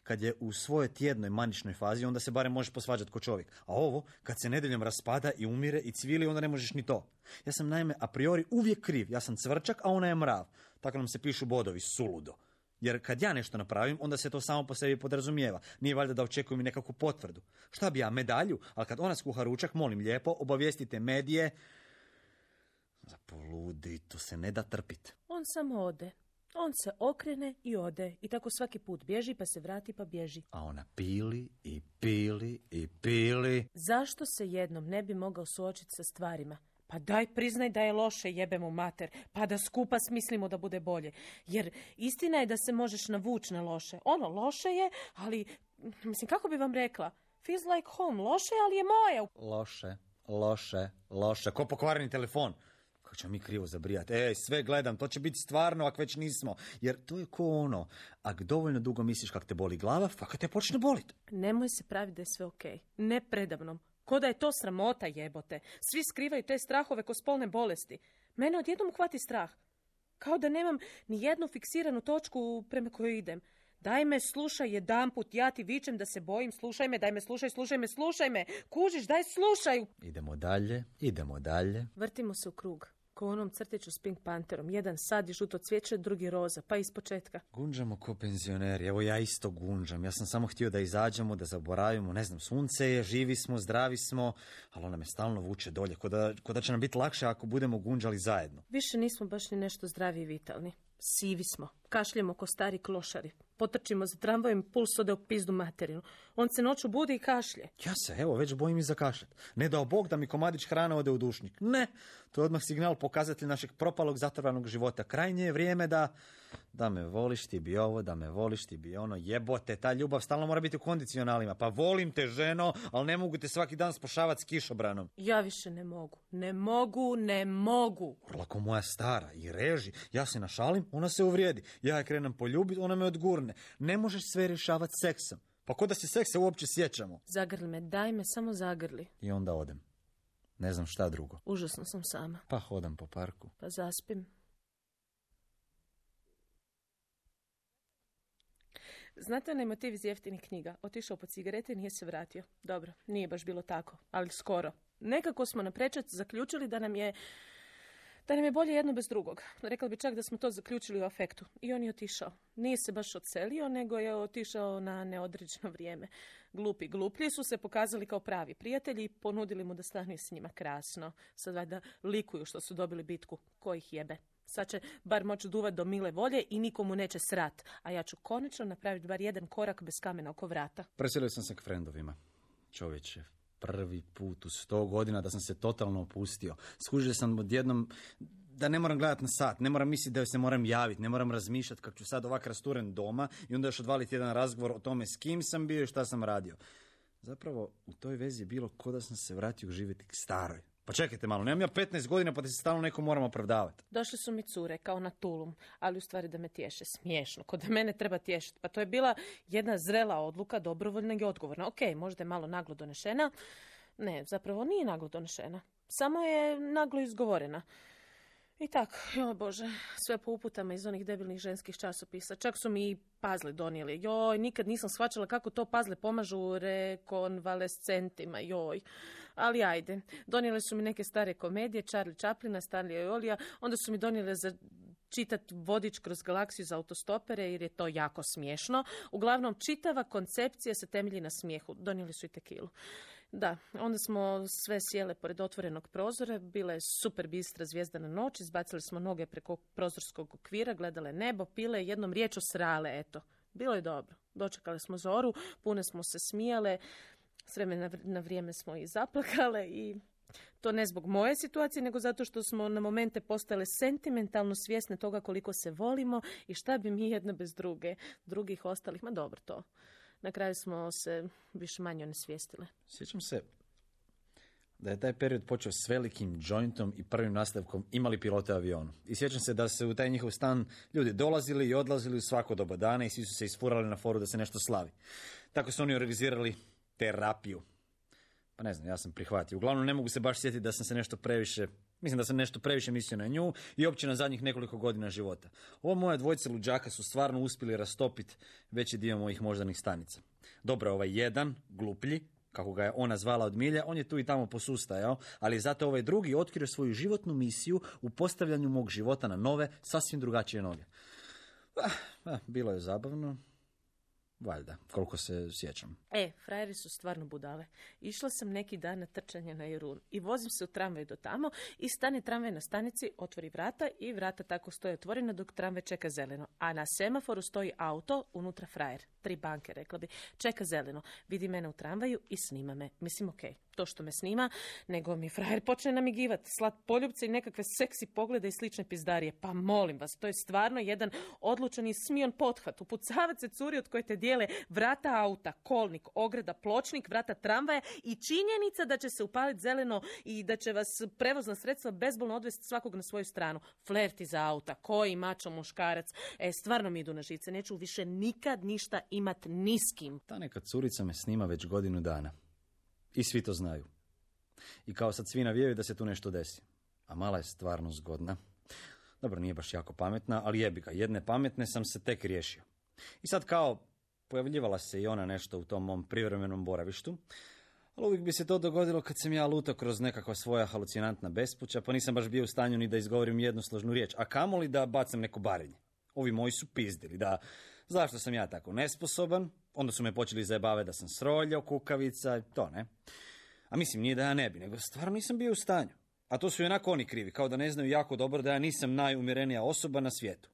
Kad je u svojoj tjednoj maničnoj fazi, onda se barem možeš posvađati ko čovjek. A ovo, kad se nedjeljom raspada i umire i cvili, onda ne možeš ni to. Ja sam naime a priori uvijek kriv. Ja sam cvrčak, a ona je mrav. Tako nam se pišu bodovi, suludo. Jer kad ja nešto napravim, onda se to samo po sebi podrazumijeva. Nije valjda da očekujem i nekakvu potvrdu. Šta bi ja, medalju? Ali kad ona skuha ručak, molim lijepo, obavijestite medije. Zapoludi, to se ne da trpit. On samo ode. On se okrene i ode. I tako svaki put bježi, pa se vrati, pa bježi. A ona pili i pili i pili. Zašto se jednom ne bi mogao suočiti sa stvarima? Pa daj priznaj da je loše, jebe mu mater, pa da skupa smislimo da bude bolje. Jer istina je da se možeš navući na loše. Ono, loše je, ali, mislim, kako bi vam rekla? Feels like home, loše, ali je moje. Loše, loše, loše. Ko pokvareni telefon? Kako ćemo mi krivo zabrijati? Ej, sve gledam, to će biti stvarno, ako već nismo. Jer to je ko ono, ako dovoljno dugo misliš kako te boli glava, fakat te počne boliti. Nemoj se praviti da je sve okej. Ne predavnom. Ko da je to sramota, jebote. Svi skrivaju te strahove ko spolne bolesti. Mene odjednom hvati strah. Kao da nemam ni jednu fiksiranu točku prema kojoj idem. Daj me slušaj jedanput, ja ti vičem da se bojim, slušaj me, daj me slušaj, slušaj me, slušaj me. Kužiš, daj slušaj. Idemo dalje, idemo dalje. Vrtimo se u krug. Ko onom crtiću s Pink Pantherom. Jedan sad je žuto cvijeće, drugi roza, pa iz početka. Gunđamo ko penzioneri, evo ja isto gunđam. Ja sam samo htio da izađemo, da zaboravimo, ne znam, sunce je, živi smo, zdravi smo, ali ona me stalno vuče dolje, ko da, ko da će nam biti lakše ako budemo gunđali zajedno. Više nismo baš ni nešto zdravi i vitalni. Sivi smo, kašljemo ko stari klošari. Potrčimo za tramvajem, puls ode u pizdu materinu. On se noću budi i kašlje. Ja se, evo, već bojim i za kašljat. Ne dao Bog da mi komadić hrane ode u dušnik. Ne, to je odmah signal pokazatelj našeg propalog zatrvanog života. Krajnje je vrijeme da, da me voliš ti bi ovo, da me voliš ti bi ono. Jebote, ta ljubav stalno mora biti u kondicionalima. Pa volim te, ženo, ali ne mogu te svaki dan spošavati s kišobranom. Ja više ne mogu. Ne mogu, ne mogu. Urlako moja stara i reži. Ja se našalim, ona se uvrijedi. Ja je krenem poljubiti, ona me odgurne. Ne možeš sve rješavati seksom. Pa ko da se seksa uopće sjećamo? Zagrli me, daj me, samo zagrli. I onda odem. Ne znam šta drugo. Užasno sam sama. Pa hodam po parku. Pa zaspim. Znate onaj motiv iz jeftinih knjiga? Otišao po cigarete i nije se vratio. Dobro, nije baš bilo tako, ali skoro. Nekako smo na prečac zaključili da nam je da nam je bolje jedno bez drugog. Rekla bi čak da smo to zaključili u afektu. I on je otišao. Nije se baš odselio, nego je otišao na neodređeno vrijeme. Glupi gluplji su se pokazali kao pravi prijatelji i ponudili mu da stanuje s njima. Krasno. Sad valjda likuju što su dobili bitku. Ko ih jebe? Sad će bar moći duvat do mile volje i nikomu neće srat. A ja ću konačno napraviti bar jedan korak bez kamena oko vrata. Preselio sam se k frendovima. Čovječe, prvi put u sto godina da sam se totalno opustio. Skužio sam odjednom da ne moram gledati na sat, ne moram misliti da joj se moram javiti, ne moram razmišljati kako ću sad ovak rasturen doma i onda još odvaliti jedan razgovor o tome s kim sam bio i šta sam radio. Zapravo, u toj vezi je bilo ko da sam se vratio živjeti k staroj. Pa čekajte malo, nemam ja petnaest godina pa da se stalno neko moram opravdavati. Došli su mi cure, kao na tulum, ali u stvari da me tješe. Smiješno, kod da mene treba tješiti. Pa to je bila jedna zrela odluka, dobrovoljna i odgovorna. Ok, možda je malo naglo donešena. Ne, zapravo nije naglo donešena. Samo je naglo izgovorena. I tako, joj Bože, sve po uputama iz onih debilnih ženskih časopisa. Čak su mi i pazle donijeli. Joj, nikad nisam shvaćala kako to pazle pomažu rekonvalescentima, joj. Ali ajde, donijeli su mi neke stare komedije, Charlie Chaplina, Stanleya i Olija, onda su mi donijeli za čitati vodič kroz galaksiju za autostopere jer je to jako smiješno. Uglavnom, čitava koncepcija se temelji na smijehu. Donijeli su i tekilu. Da, onda smo sve sjele pored otvorenog prozora, bila je super bistra zvijezdana noć, izbacili smo noge preko prozorskog okvira, gledale nebo, pile, jednom riječu srale, eto. Bilo je dobro. Dočekali smo zoru, pune smo se smijale, s vremena na vrijeme smo i zaplakale i to ne zbog moje situacije, nego zato što smo na momente postale sentimentalno svjesne toga koliko se volimo i šta bi mi jedna bez druge, drugih ostalih, ma dobro to. Na kraju smo se više manje onesvijestile. Sjećam se da je taj period počeo s velikim jointom i prvim nastavkom Imali pilote avionu. I sjećam se da se u taj njihov stan ljudi dolazili i odlazili u svako doba dana i svi su se isfurali na foru da se nešto slavi. Tako su oni organizirali terapiju. Pa ne znam, ja sam prihvatio. Uglavnom ne mogu se baš sjetiti da sam se nešto previše, mislim da sam nešto previše mislio na nju i opće na zadnjih nekoliko godina života. Ovo moje dvojice luđaka su stvarno uspjeli rastopiti veći dio mojih moždanih stanica. Dobro, ovaj jedan, gluplji, kako ga je ona zvala od milja, on je tu i tamo posustajao, ali je zato ovaj drugi otkrio svoju životnu misiju u postavljanju mog života na nove, sasvim drugačije noge. Ah, ah, bilo je zabavno. Valjda, koliko se sjećam. E, frajeri su stvarno budale. Išla sam neki dan na trčanje na Jarun i vozim se u tramvaj do tamo i stane tramvaj na stanici, otvori vrata i vrata tako stoje otvorena dok tramvaj čeka zeleno. A na semaforu stoji auto, unutra frajer. Tri banke, rekla bi. Čeka zeleno. Vidi mene u tramvaju i snima me. Mislim, okej. Okay. To što me snima, nego mi frajer počne namigivati, slat poljubce i nekakve seksi poglede i slične pizdarije. Pa molim vas, to je stvarno jedan odlučan i smion pothvat. Upucavat se curi od koje te dijele vrata auta, kolnik, ograda, pločnik, vrata tramvaja i činjenica da će se upaliti zeleno i da će vas prevozna sredstva bezbolno odvesti svakog na svoju stranu. Flerti za auta, koji mačo muškarac. E, stvarno mi idu na žice, neću više nikad ništa imat ni s kim. Ta neka curica me snima već godinu dana. I svi to znaju. I kao sad svi navijaju da se tu nešto desi. A mala je stvarno zgodna. Dobro, nije baš jako pametna, ali jebi ga, jedne pametne sam se tek riješio. I sad kao pojavljivala se i ona nešto u tom mom privremenom boravištu, ali uvijek bi se to dogodilo kad sam ja lutao kroz nekakva svoja halucinantna bespuća, pa nisam baš bio u stanju ni da izgovorim jednosložnu riječ, a kamoli da bacam neko barenje. Ovi moji su pizdili, da zašto sam ja tako nesposoban, onda su me počeli zajebavati da sam sroljao, kukavica, to ne. A mislim, nije da ja ne bi, nego stvarno nisam bio u stanju. A to su i onako oni krivi, kao da ne znaju jako dobro da ja nisam najumjerenija osoba na svijetu.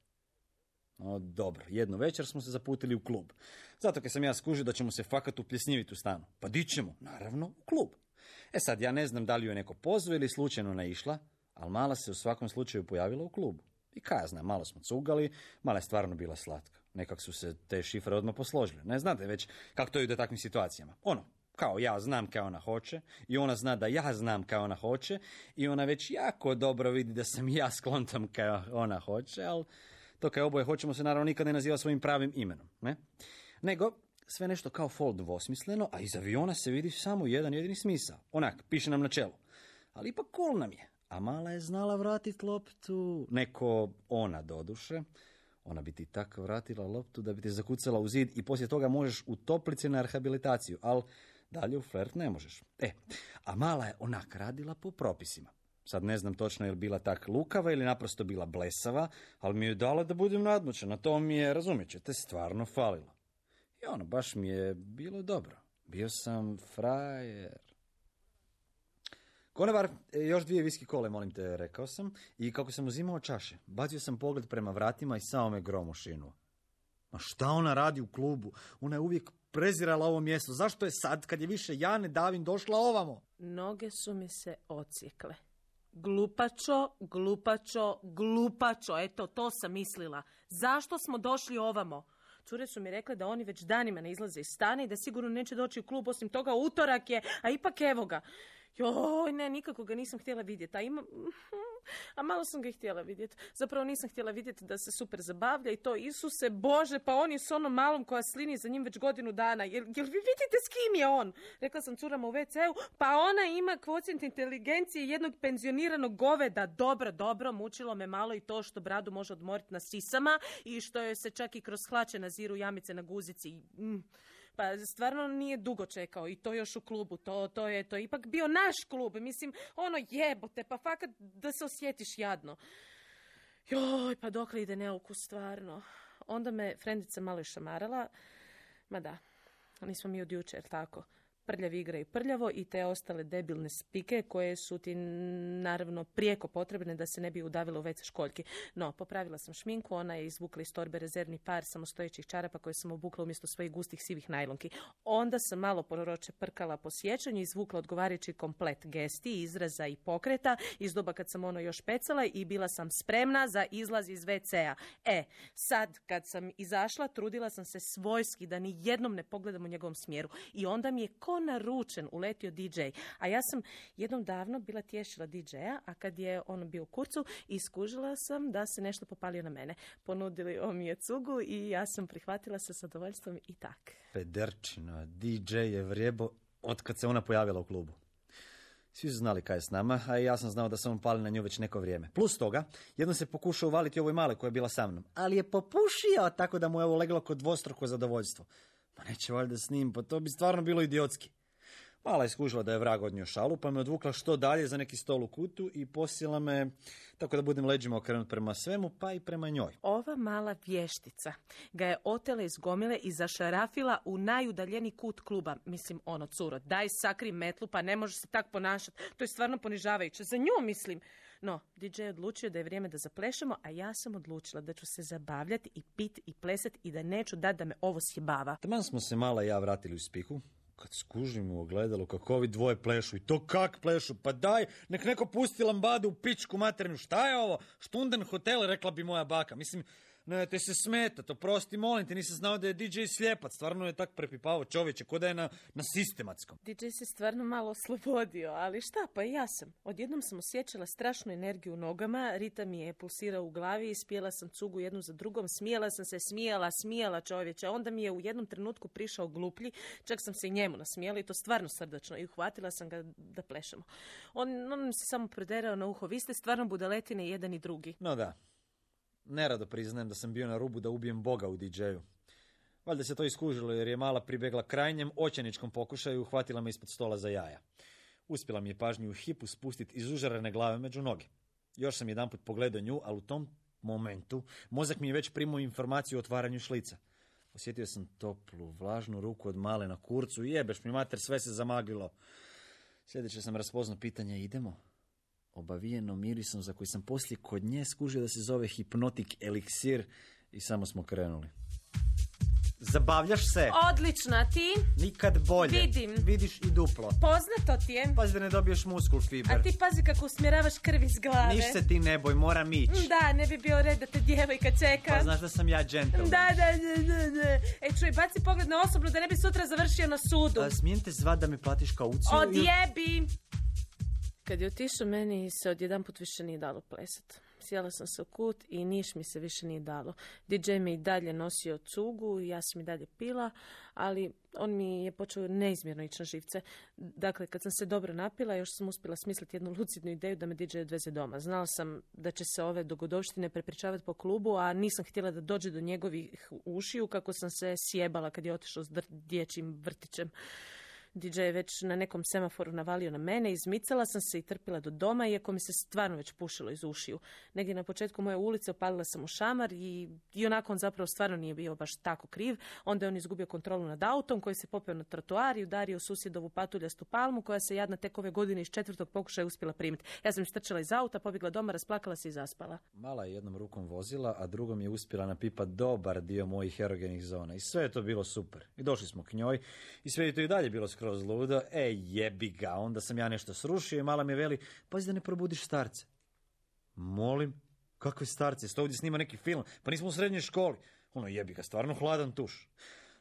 No dobro, jednu večer smo se zaputili u klub. Zato kad sam ja skužio da ćemo se fakat upljesnjiviti u stanu. Pa di ćemo? Naravno, u klub. E sad, ja ne znam da li ju je neko pozvao ili slučajno naišla, ali mala se u svakom slučaju pojavila u klubu. I kaj ja znam, malo smo cugali, mala je stvarno bila slatka. Nekak su se te šifre odmah posložile. Ne znate već kako to ide u takvim situacijama. Ono, kao ja znam kaj ona hoće i ona zna da ja znam kaj ona hoće i ona već jako dobro vidi da sam ja sklontam kaj ona hoće, ali to kaj oboje hoćemo se naravno nikad ne naziva svojim pravim imenom. Ne? Nego, sve nešto kao fol dvosmisleno, a iz aviona se vidi samo jedan jedini smisao. Onak, piše nam na čelu. Ali ipak cool nam je. A mala je znala vratit loptu. Neko ona doduše. Ona bi ti tak vratila loptu da bi te zakucala u zid i poslije toga možeš u toplici na rehabilitaciju, ali dalje u flert ne možeš. E, a mala je onak radila po propisima. Sad ne znam točno je li bila tak lukava ili naprosto bila blesava, ali mi je dala da budem nadmoćan, a to mi je, razumjet ćete, stvarno falilo. I ono, baš mi je bilo dobro. Bio sam frajer. Konobar, još dvije viski kole, molim te, rekao sam, i kako sam uzimao čaše, bacio sam pogled prema vratima i samo me grom ošinuo. Ma šta ona radi u klubu? Ona je uvijek prezirala ovo mjesto. Zašto je sad, kad je više ja ne davim, došla ovamo? Noge su mi se ocijekle. Glupačo, glupačo, glupačo, eto, to sam mislila. Zašto smo došli ovamo? Cure su mi rekle da oni već danima ne izlaze iz stana i da sigurno neće doći u klub, osim toga utorak je, a ipak evo ga. Joj, ne, nikako ga nisam htjela vidjeti, a ima... A malo sam ga i htjela vidjeti. Zapravo nisam htjela vidjeti da se super zabavlja i to, Isuse Bože, pa on je s onom malom koja slini za njim već godinu dana. Jel, jel vi vidite s kim je on? Rekla sam curama u ve ce u, pa ona ima kvocijent inteligencije jednog penzioniranog goveda. Dobro, dobro, mučilo me malo i to što bradu može odmoriti na sisama i što joj se čak i kroz hlače naziru jamice na guzici. Mm. Pa stvarno nije dugo čekao i to još u klubu, to, to je to je ipak bio naš klub, mislim, ono jebote, pa fakat da se osjetiš jadno. Joj, pa dokle ide neukus stvarno. Onda me frendica malo šamarala, ma da, nismo mi od jučer, tako. Prljavi igraju prljavo i te ostale debilne spike koje su ti naravno prijeko potrebne da se ne bi udavila u ve ce školjki. No, popravila sam šminku, ona je izvukla iz torbe rezervni par samostojećih čarapa koje sam obukla umjesto svojih gustih sivih najlonki. Onda sam malo proroče prkala po sjećanju i izvukla odgovarajući komplet gesti, izraza i pokreta iz doba kad sam ono još pecala i bila sam spremna za izlaz iz ve ce a. E, sad kad sam izašla, trudila sam se svojski da ni jednom ne pogledam u njegovom smjeru i onda mi je ko naručen uletio di džej. A ja sam jednom davno bila tješila di džeja, a kad je on bio u kurcu, iskužila sam da se nešto popalio na mene. Ponudili on mi je cugu i ja sam prihvatila sa zadovoljstvom i tak. Pederčina, di džej je vrijebo od kad se ona pojavila u klubu. Svi su znali kaj je s nama, a i ja sam znao da sam on pali na nju već neko vrijeme. Plus toga, jednom se pokušao uvaliti ovoj male koja je bila sa mnom, ali je popušio tako da mu je ovo leglo kod dvostruko zadovoljstvo. Ma neće valjda s njim, pa to bi stvarno bilo idiotski. Mala je skužila da je vrag odnio šalu, pa me odvukla što dalje za neki stol u kutu i posila me tako da budem leđima okrenut prema svemu, pa i prema njoj. Ova mala vještica ga je otela iz gomile i zašarafila u najudaljeni kut kluba. Mislim, ono, curo, daj sakri metlu, pa ne može se tak ponašati. To je stvarno ponižavajuće. Za nju, mislim. No, di džej je odlučio da je vrijeme da zaplešemo, a ja sam odlučila da ću se zabavljati i pit i plesati i da neću dati da me ovo sjebava. Taman smo se Mala i ja vratili u spihu, kad skužim u ogledalo kako ovi dvoje plešu. I to kak plešu? Pa daj, nek neko pusti lambadu u pičku materinu. Šta je ovo? Štunden hotel, rekla bi moja baka. Mislim, ne, te se smeta, to prosti, molim te, nisam znao da je di džej slijepac. Stvarno je tak prepipavo čovječe, ko da je na, na sistematskom. di džej se stvarno malo oslobodio, ali šta, pa i ja sam. Odjednom sam osjećala strašnu energiju u nogama, ritam mi je pulsirao u glavi, ispijela sam cugu jednu za drugom, smijela sam se, smijala, smijala čovječe. Onda mi je u jednom trenutku prišao gluplji, čak sam se i njemu nasmijela i to stvarno srdačno i uhvatila sam ga da plešemo. On, on mi se samo proderao na uho, vi ste stvarno budaletine jedan i drugi. No da. Nerado priznajem da sam bio na rubu da ubijem Boga u di džeju. Valjda se to iskužilo jer je Mala pribjegla krajnjem očajničkom pokušaju i uhvatila me ispod stola za jaja. Uspjela mi je pažnju u hipu spustiti iz užarene glave među noge. Još sam jedanput pogledao nju, ali u tom momentu mozak mi je već primao informaciju o otvaranju šlica. Osjetio sam toplu, vlažnu ruku od Male na kurcu i jebeš mi mater, sve se zamaglilo. Sljedeće sam raspoznao pitanje, idemo? Obavijeno mirisom za koji sam poslije kod nje skužio da se zove hipnotik eliksir i samo smo krenuli. Zabavljaš se? Odlična, ti? Nikad bolje. Vidim. Vidiš i duplo. Poznato ti je. Pazi da ne dobiješ muskul fiber. A ti pazi kako usmjeravaš krv iz glave. Niš se ti ne boj, moram ići. Da, ne bi bio red da te djevojka čeka. Pa znaš da sam ja džentlmen. Da, da, da, da, da. E, čuj, baci pogled na osobnu da ne bi sutra završio na sudu. A, smijem te zvat da me platiš kauciju? Odjebi! Kad je otišao, meni se odjedanput više nije dalo plesat. Sjela sam se u kut i niš mi se više nije dalo. di džej me i dalje nosio cugu, ja sam i dalje pila, ali on mi je počeo neizmjerno ići na živce. Dakle, kad sam se dobro napila, još sam uspjela smisliti jednu lucidnu ideju da me di džej odveze doma. Znala sam da će se ove dogodovštine prepričavati po klubu, a nisam htjela da dođe do njegovih ušiju kako sam se sjebala kad je otišao s dječjim vrtićem. di džej je već na nekom semaforu navalio na mene, izmicala sam se i trpila do doma, iako mi se stvarno već pušilo iz ušiju. Negdje na početku moje ulice opalila sam u šamar i, i onako on zapravo stvarno nije bio baš tako kriv. Onda je on izgubio kontrolu nad autom koji se popeo na trotoar i udario susjedovu patuljastu palmu koja se jadna tek ove godine iz četvrtog pokušaja uspjela primiti. Ja sam istrčala iz auta, pobjegla doma, rasplakala se i zaspala. Mala je jednom rukom vozila, a drugom je uspjela napipat dobar dio mojih erogenih zona. I sve je to bilo super. I došli smo k njoj i sve je to i dalje bilo skroz skroz ludo, e jebi ga, onda sam ja nešto srušio i mala mi veli, pazi da ne probudiš starce. Molim, kakve starce, sto ovdje snima neki film, pa nismo u srednjoj školi. Ono jebi ga, stvarno hladan tuš.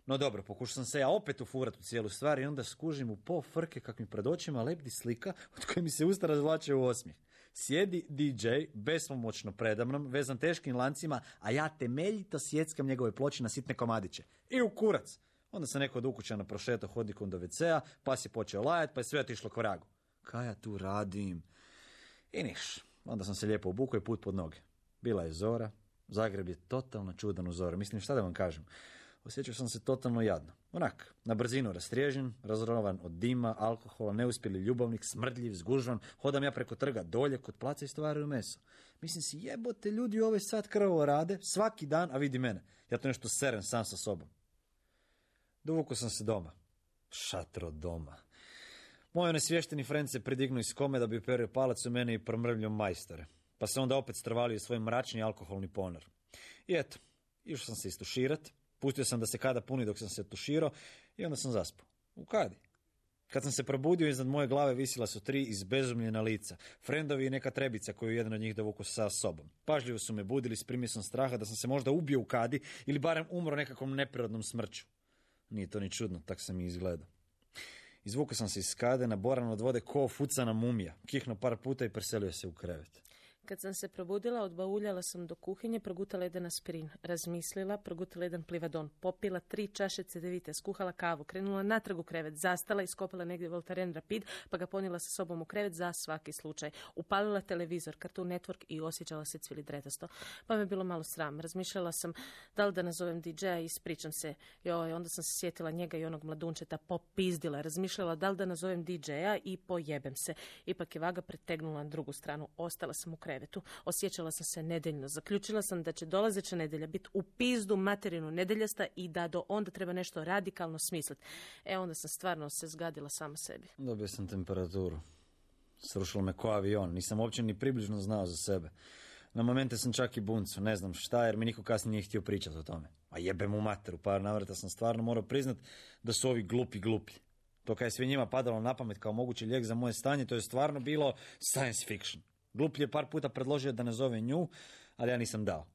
No dobro, pokušao sam se ja opet ufurat u cijelu stvar i onda skužim u po frke kak mi pred očima lebdi slika od koje mi se usta razvlače u osmijeh. Sjedi D J, bespomoćno predamnom, vezan teškim lancima, a ja temeljito sjeckam njegove ploče na sitne komadiće. I u kurac. Onda sam neko od ukućana prošetao hodnikom do ve cea, pa si počeo lajat, pa je sve otišlo ko ragu. Kaj ja tu radim? I niš. Onda sam se lijepo obukao i put pod noge. Bila je zora. Zagreb je totalno čudan u zoru. Mislim, šta da vam kažem? Osjećao sam se totalno jadno. Onak, na brzinu rastriježen, razrovan od dima, alkohola, neuspjeli ljubavnik, smrdljiv, zgužvan, hodam ja preko trga dolje kod placa i stvaraju meso. Mislim si, jebote, ljudi ove sad krvavo rade, svaki dan, a vidi mene. Ja to nešto serem sam sa sobom. Dovukao sam se doma. Šatro doma. Moj nesvješteni frend se pridignu iz kome da bi uperio palac u mene i promrvljio majstore. Pa se onda opet strvalio svoj mračni alkoholni ponor. I eto, išao sam se istuširat. Pustio sam da se kada puni dok sam se tuširao i onda sam zaspao. U kadi. Kad sam se probudio, iznad moje glave visila su tri izbezumljena lica. Frendovi i neka trebica koju jedan od njih dovukao sa sobom. Pažljivo su me budili s primjesom straha da sam se možda ubio u kadi ili barem umro nekakvom neprirodnom smrću. Nije to ni čudno, tak sam i izgledao. Izvukao sam se iz kade, naboran od vode ko fucana mumija. Kihnuo par puta i preselio se u krevet. Kad sam se probudila, odbauljala sam do kuhinje, progutala jedan aspirin, razmislila, progutala jedan plivadon, popila tri čaše cedevite, skuhala kavu, krenula natrag u krevet, zastala, iskopala negdje Voltaren Rapid, pa ga ponijela sa sobom u krevet za svaki slučaj. Upalila televizor, Cartoon Network i osjećala se cvilidretasto. Pa me bilo malo sram. Razmišljala sam da li da nazovem D J-a i ispričam se. Joj, onda sam se sjetila njega i onog mladunčeta, popizdila. Razmišljala da li da nazovem D J-a i pojebem se. Ipak je vaga pretegnula na drugu stranu. Ostala sam u krevetu. Osjećala sam se nedeljno. Zaključila sam da će dolazeća nedjelja biti u pizdu materinu nedeljasta i da do onda treba nešto radikalno smisliti. E, onda sam stvarno se zgadila sama sebi. Dobio sam temperaturu. Srušilo me ko avion. Nisam uopće ni približno znao za sebe. Na momente sam čak i buncu. Ne znam šta, jer mi niko kasnije nije htio pričati o tome. A jebem u materu. Par navrata sam stvarno morao priznat da su ovi glupi glupi. To kad je sve njima padalo na pamet kao mogući lijek za moje stanje, to je stvarno bilo science fiction. Gluplji je par puta predložio da nazove nju, ali ja nisam dao.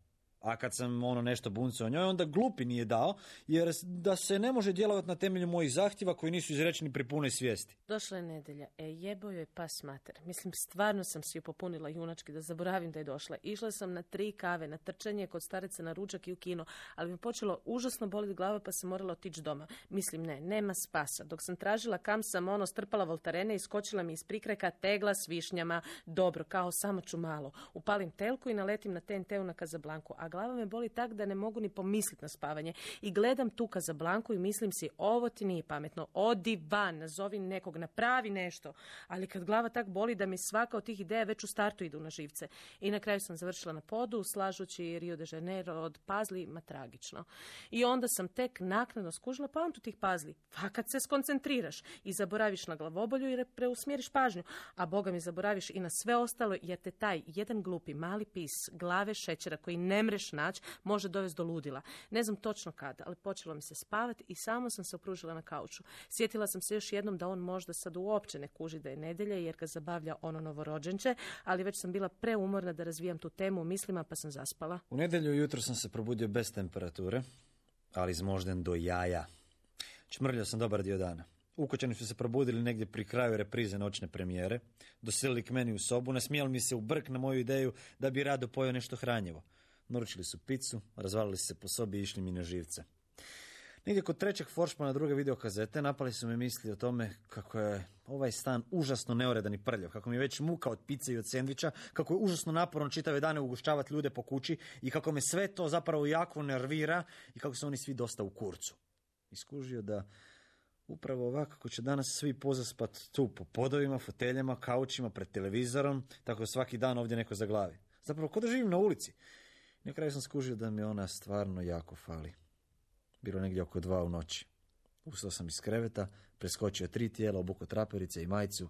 A kad sam ono nešto buncao o njoj, onda glupi nije dao, jer da se ne može djelovati na temelju mojih zahtjeva koji nisu izrečeni pri punoj svijesti. Došla je nedjelja. E, jebo joj pas mater. Mislim, stvarno sam si ju popunila junački da zaboravim da je došla. Išla sam na tri kave, na trčanje kod starice, na ručak i u kino, ali mi počelo užasno boliti glava pa sam morala otići doma. Mislim, ne, nema spasa. Dok sam tražila kam sam ono strpala Voltarene i skočila mi iz prikrajka tegla s višnjama. Dobro, kao samo ću malo. Upalim telku i naletim na T N T-u na Kazablanku, a glava me boli tak da ne mogu ni pomisliti na spavanje. I gledam tu Kazablanku i mislim si, ovo ti nije pametno, odi van, nazovi nekog, napravi nešto. Ali kad glava tak boli da mi svaka od tih ideja već u startu idu na živce. I na kraju sam završila na podu, slažući Rio de Janeiro od pazli, ma tragično. I onda sam tek naknadno skužila poantu tih pazli. Pa kad se skoncentriraš i zaboraviš na glavobolju i preusmjeriš pažnju, a boga mi zaboraviš i na sve ostalo, jer te taj jedan glupi mali pis glave šećera koji ne mreš naći može dovesti do ludila. Ne znam točno kada, ali počelo mi se spavati i samo sam se opružila na kauču. Sjetila sam se još jednom da on možda sad uopće ne kuži da je nedjelja jer ga zabavlja ono novorođenče, ali već sam bila preumorna da razvijam tu temu u mislima pa sam zaspala. U nedjelju jutro sam se probudio bez temperature, ali izmožden do jaja. Čmrljao sam dobar dio dana. Ukućani su se probudili negdje pri kraju reprize noćne premijere, doselili k meni u sobu, nasmijali mi se u brk na moju ideju da bi rado pojeo nešto hranjivo. Naručili su picu, razvalili se po sobi i išli mi na živce. Negdje kod trećeg foršpana druge videokazete napali su me misli o tome kako je ovaj stan užasno neuredan i prljav, kako mi je već muka od pice i od sendviča, kako je užasno naporno čitave dane ugošćavati ljude po kući i kako me sve to zapravo jako nervira i kako su oni svi dosta u kurcu. Iskužio da upravo ovako kako će danas svi pozaspat tu po podovima, foteljama, kaučima, pred televizorom, tako svaki dan ovdje neko zaglavi. Zapravo ko da živim na ulici. Na kraju sam skužio da mi ona stvarno jako fali. Bilo negdje oko dva u noći. Ustao sam iz kreveta, preskočio tri tijela, obukao traperice i majicu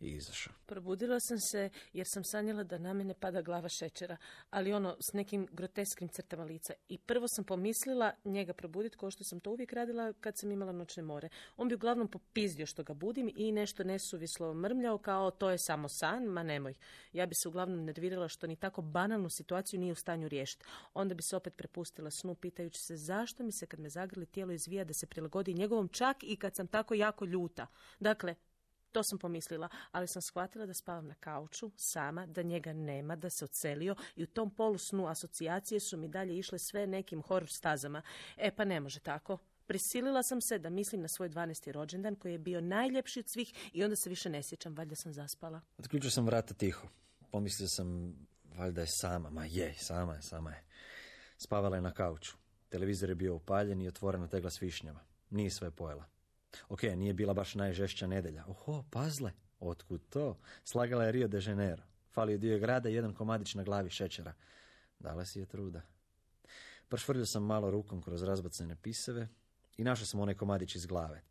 i izašao. Probudila sam se jer sam sanjala da na mene pada glava šećera, ali ono s nekim grotesknim crtama lica. I prvo sam pomislila njega probuditi kao što sam to uvijek radila kad sam imala noćne more. On bi uglavnom popizdio što ga budim i nešto nesuvislo mrmljao kao to je samo san, ma nemoj. Ja bi se uglavnom nervirala što ni tako banalnu situaciju nije u stanju riješiti. Onda bi se opet prepustila snu pitajući se zašto mi se kad me zagrli tijelo izvija da se prilagodi njegovom čak i kad sam tako jako ljuta. Dakle, to sam pomislila, ali sam shvatila da spavam na kauču, sama, da njega nema, da se odselio i u tom polusnu asocijacije su mi dalje išle sve nekim horor stazama. E pa ne može tako. Prisilila sam se da mislim na svoj dvanaesti rođendan koji je bio najljepši od svih i onda se više ne sjećam, valjda sam zaspala. Otključio sam vrata tiho. Pomislio sam, valjda je sama, ma je, sama je, sama je. Spavala je na kauču. Televizor je bio upaljen i otvorena tegla s višnjava. Nije sve pojela. Ok, nije bila baš najžešća nedelja. Oho, pazle, otkud to? Slagala je Rio de Janeiro. Falio dio grada i jedan komadić na glavi šećera. Dala si je truda. Prošvrljio sam malo rukom kroz razbacane pisave i našao sam onaj komadić iz glave.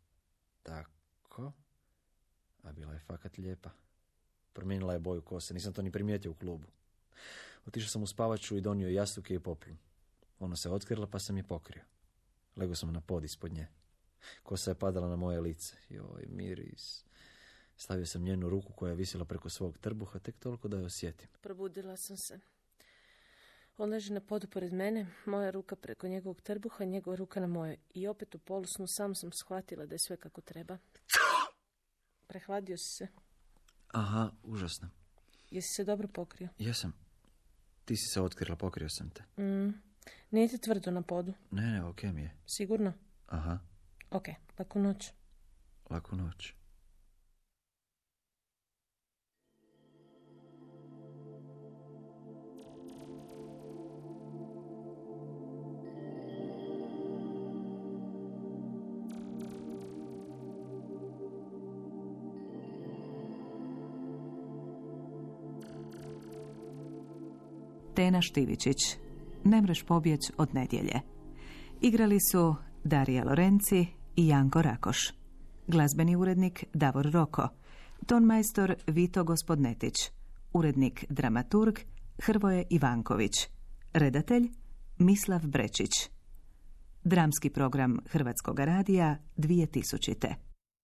Tako. A bila je fakat lijepa. Promijenila je boju kose, nisam to ni primijetio u klubu. Otišao sam u spavaču i donio jastuke i poplu. Ona se otkrila pa sam je pokrio. Legao sam na pod ispod nje. Kosa je padala na moje lice. Joj, miris. Stavio sam njenu ruku koja je visila preko svog trbuha, tek toliko da je osjetim. Probudila sam se. On leži na podu pored mene, moja ruka preko njegovog trbuha, njegova ruka na mojoj. I opet u polusnu sam sam shvatila da je sve kako treba. Prehladio si se. Aha, užasno. Jesi se dobro pokrio? Jesam. Ti si se otkrila, pokrio sam te. Mm. Nije ti tvrdo na podu? Ne, ne, okej mi je. Sigurno? Aha. Ok, laku noć. Laku noć. Tena Štivičić. Ne mreš pobjeć od nedjelje. Igrali su Darija Lorenci i Janko Rakoš. Glazbeni urednik Davor Roko. Tonmajstor Vito Gospodnetić. Urednik dramaturg Hrvoje Ivanković. Redatelj Mislav Brečić. Dramski program Hrvatskog radija dvije tisućite.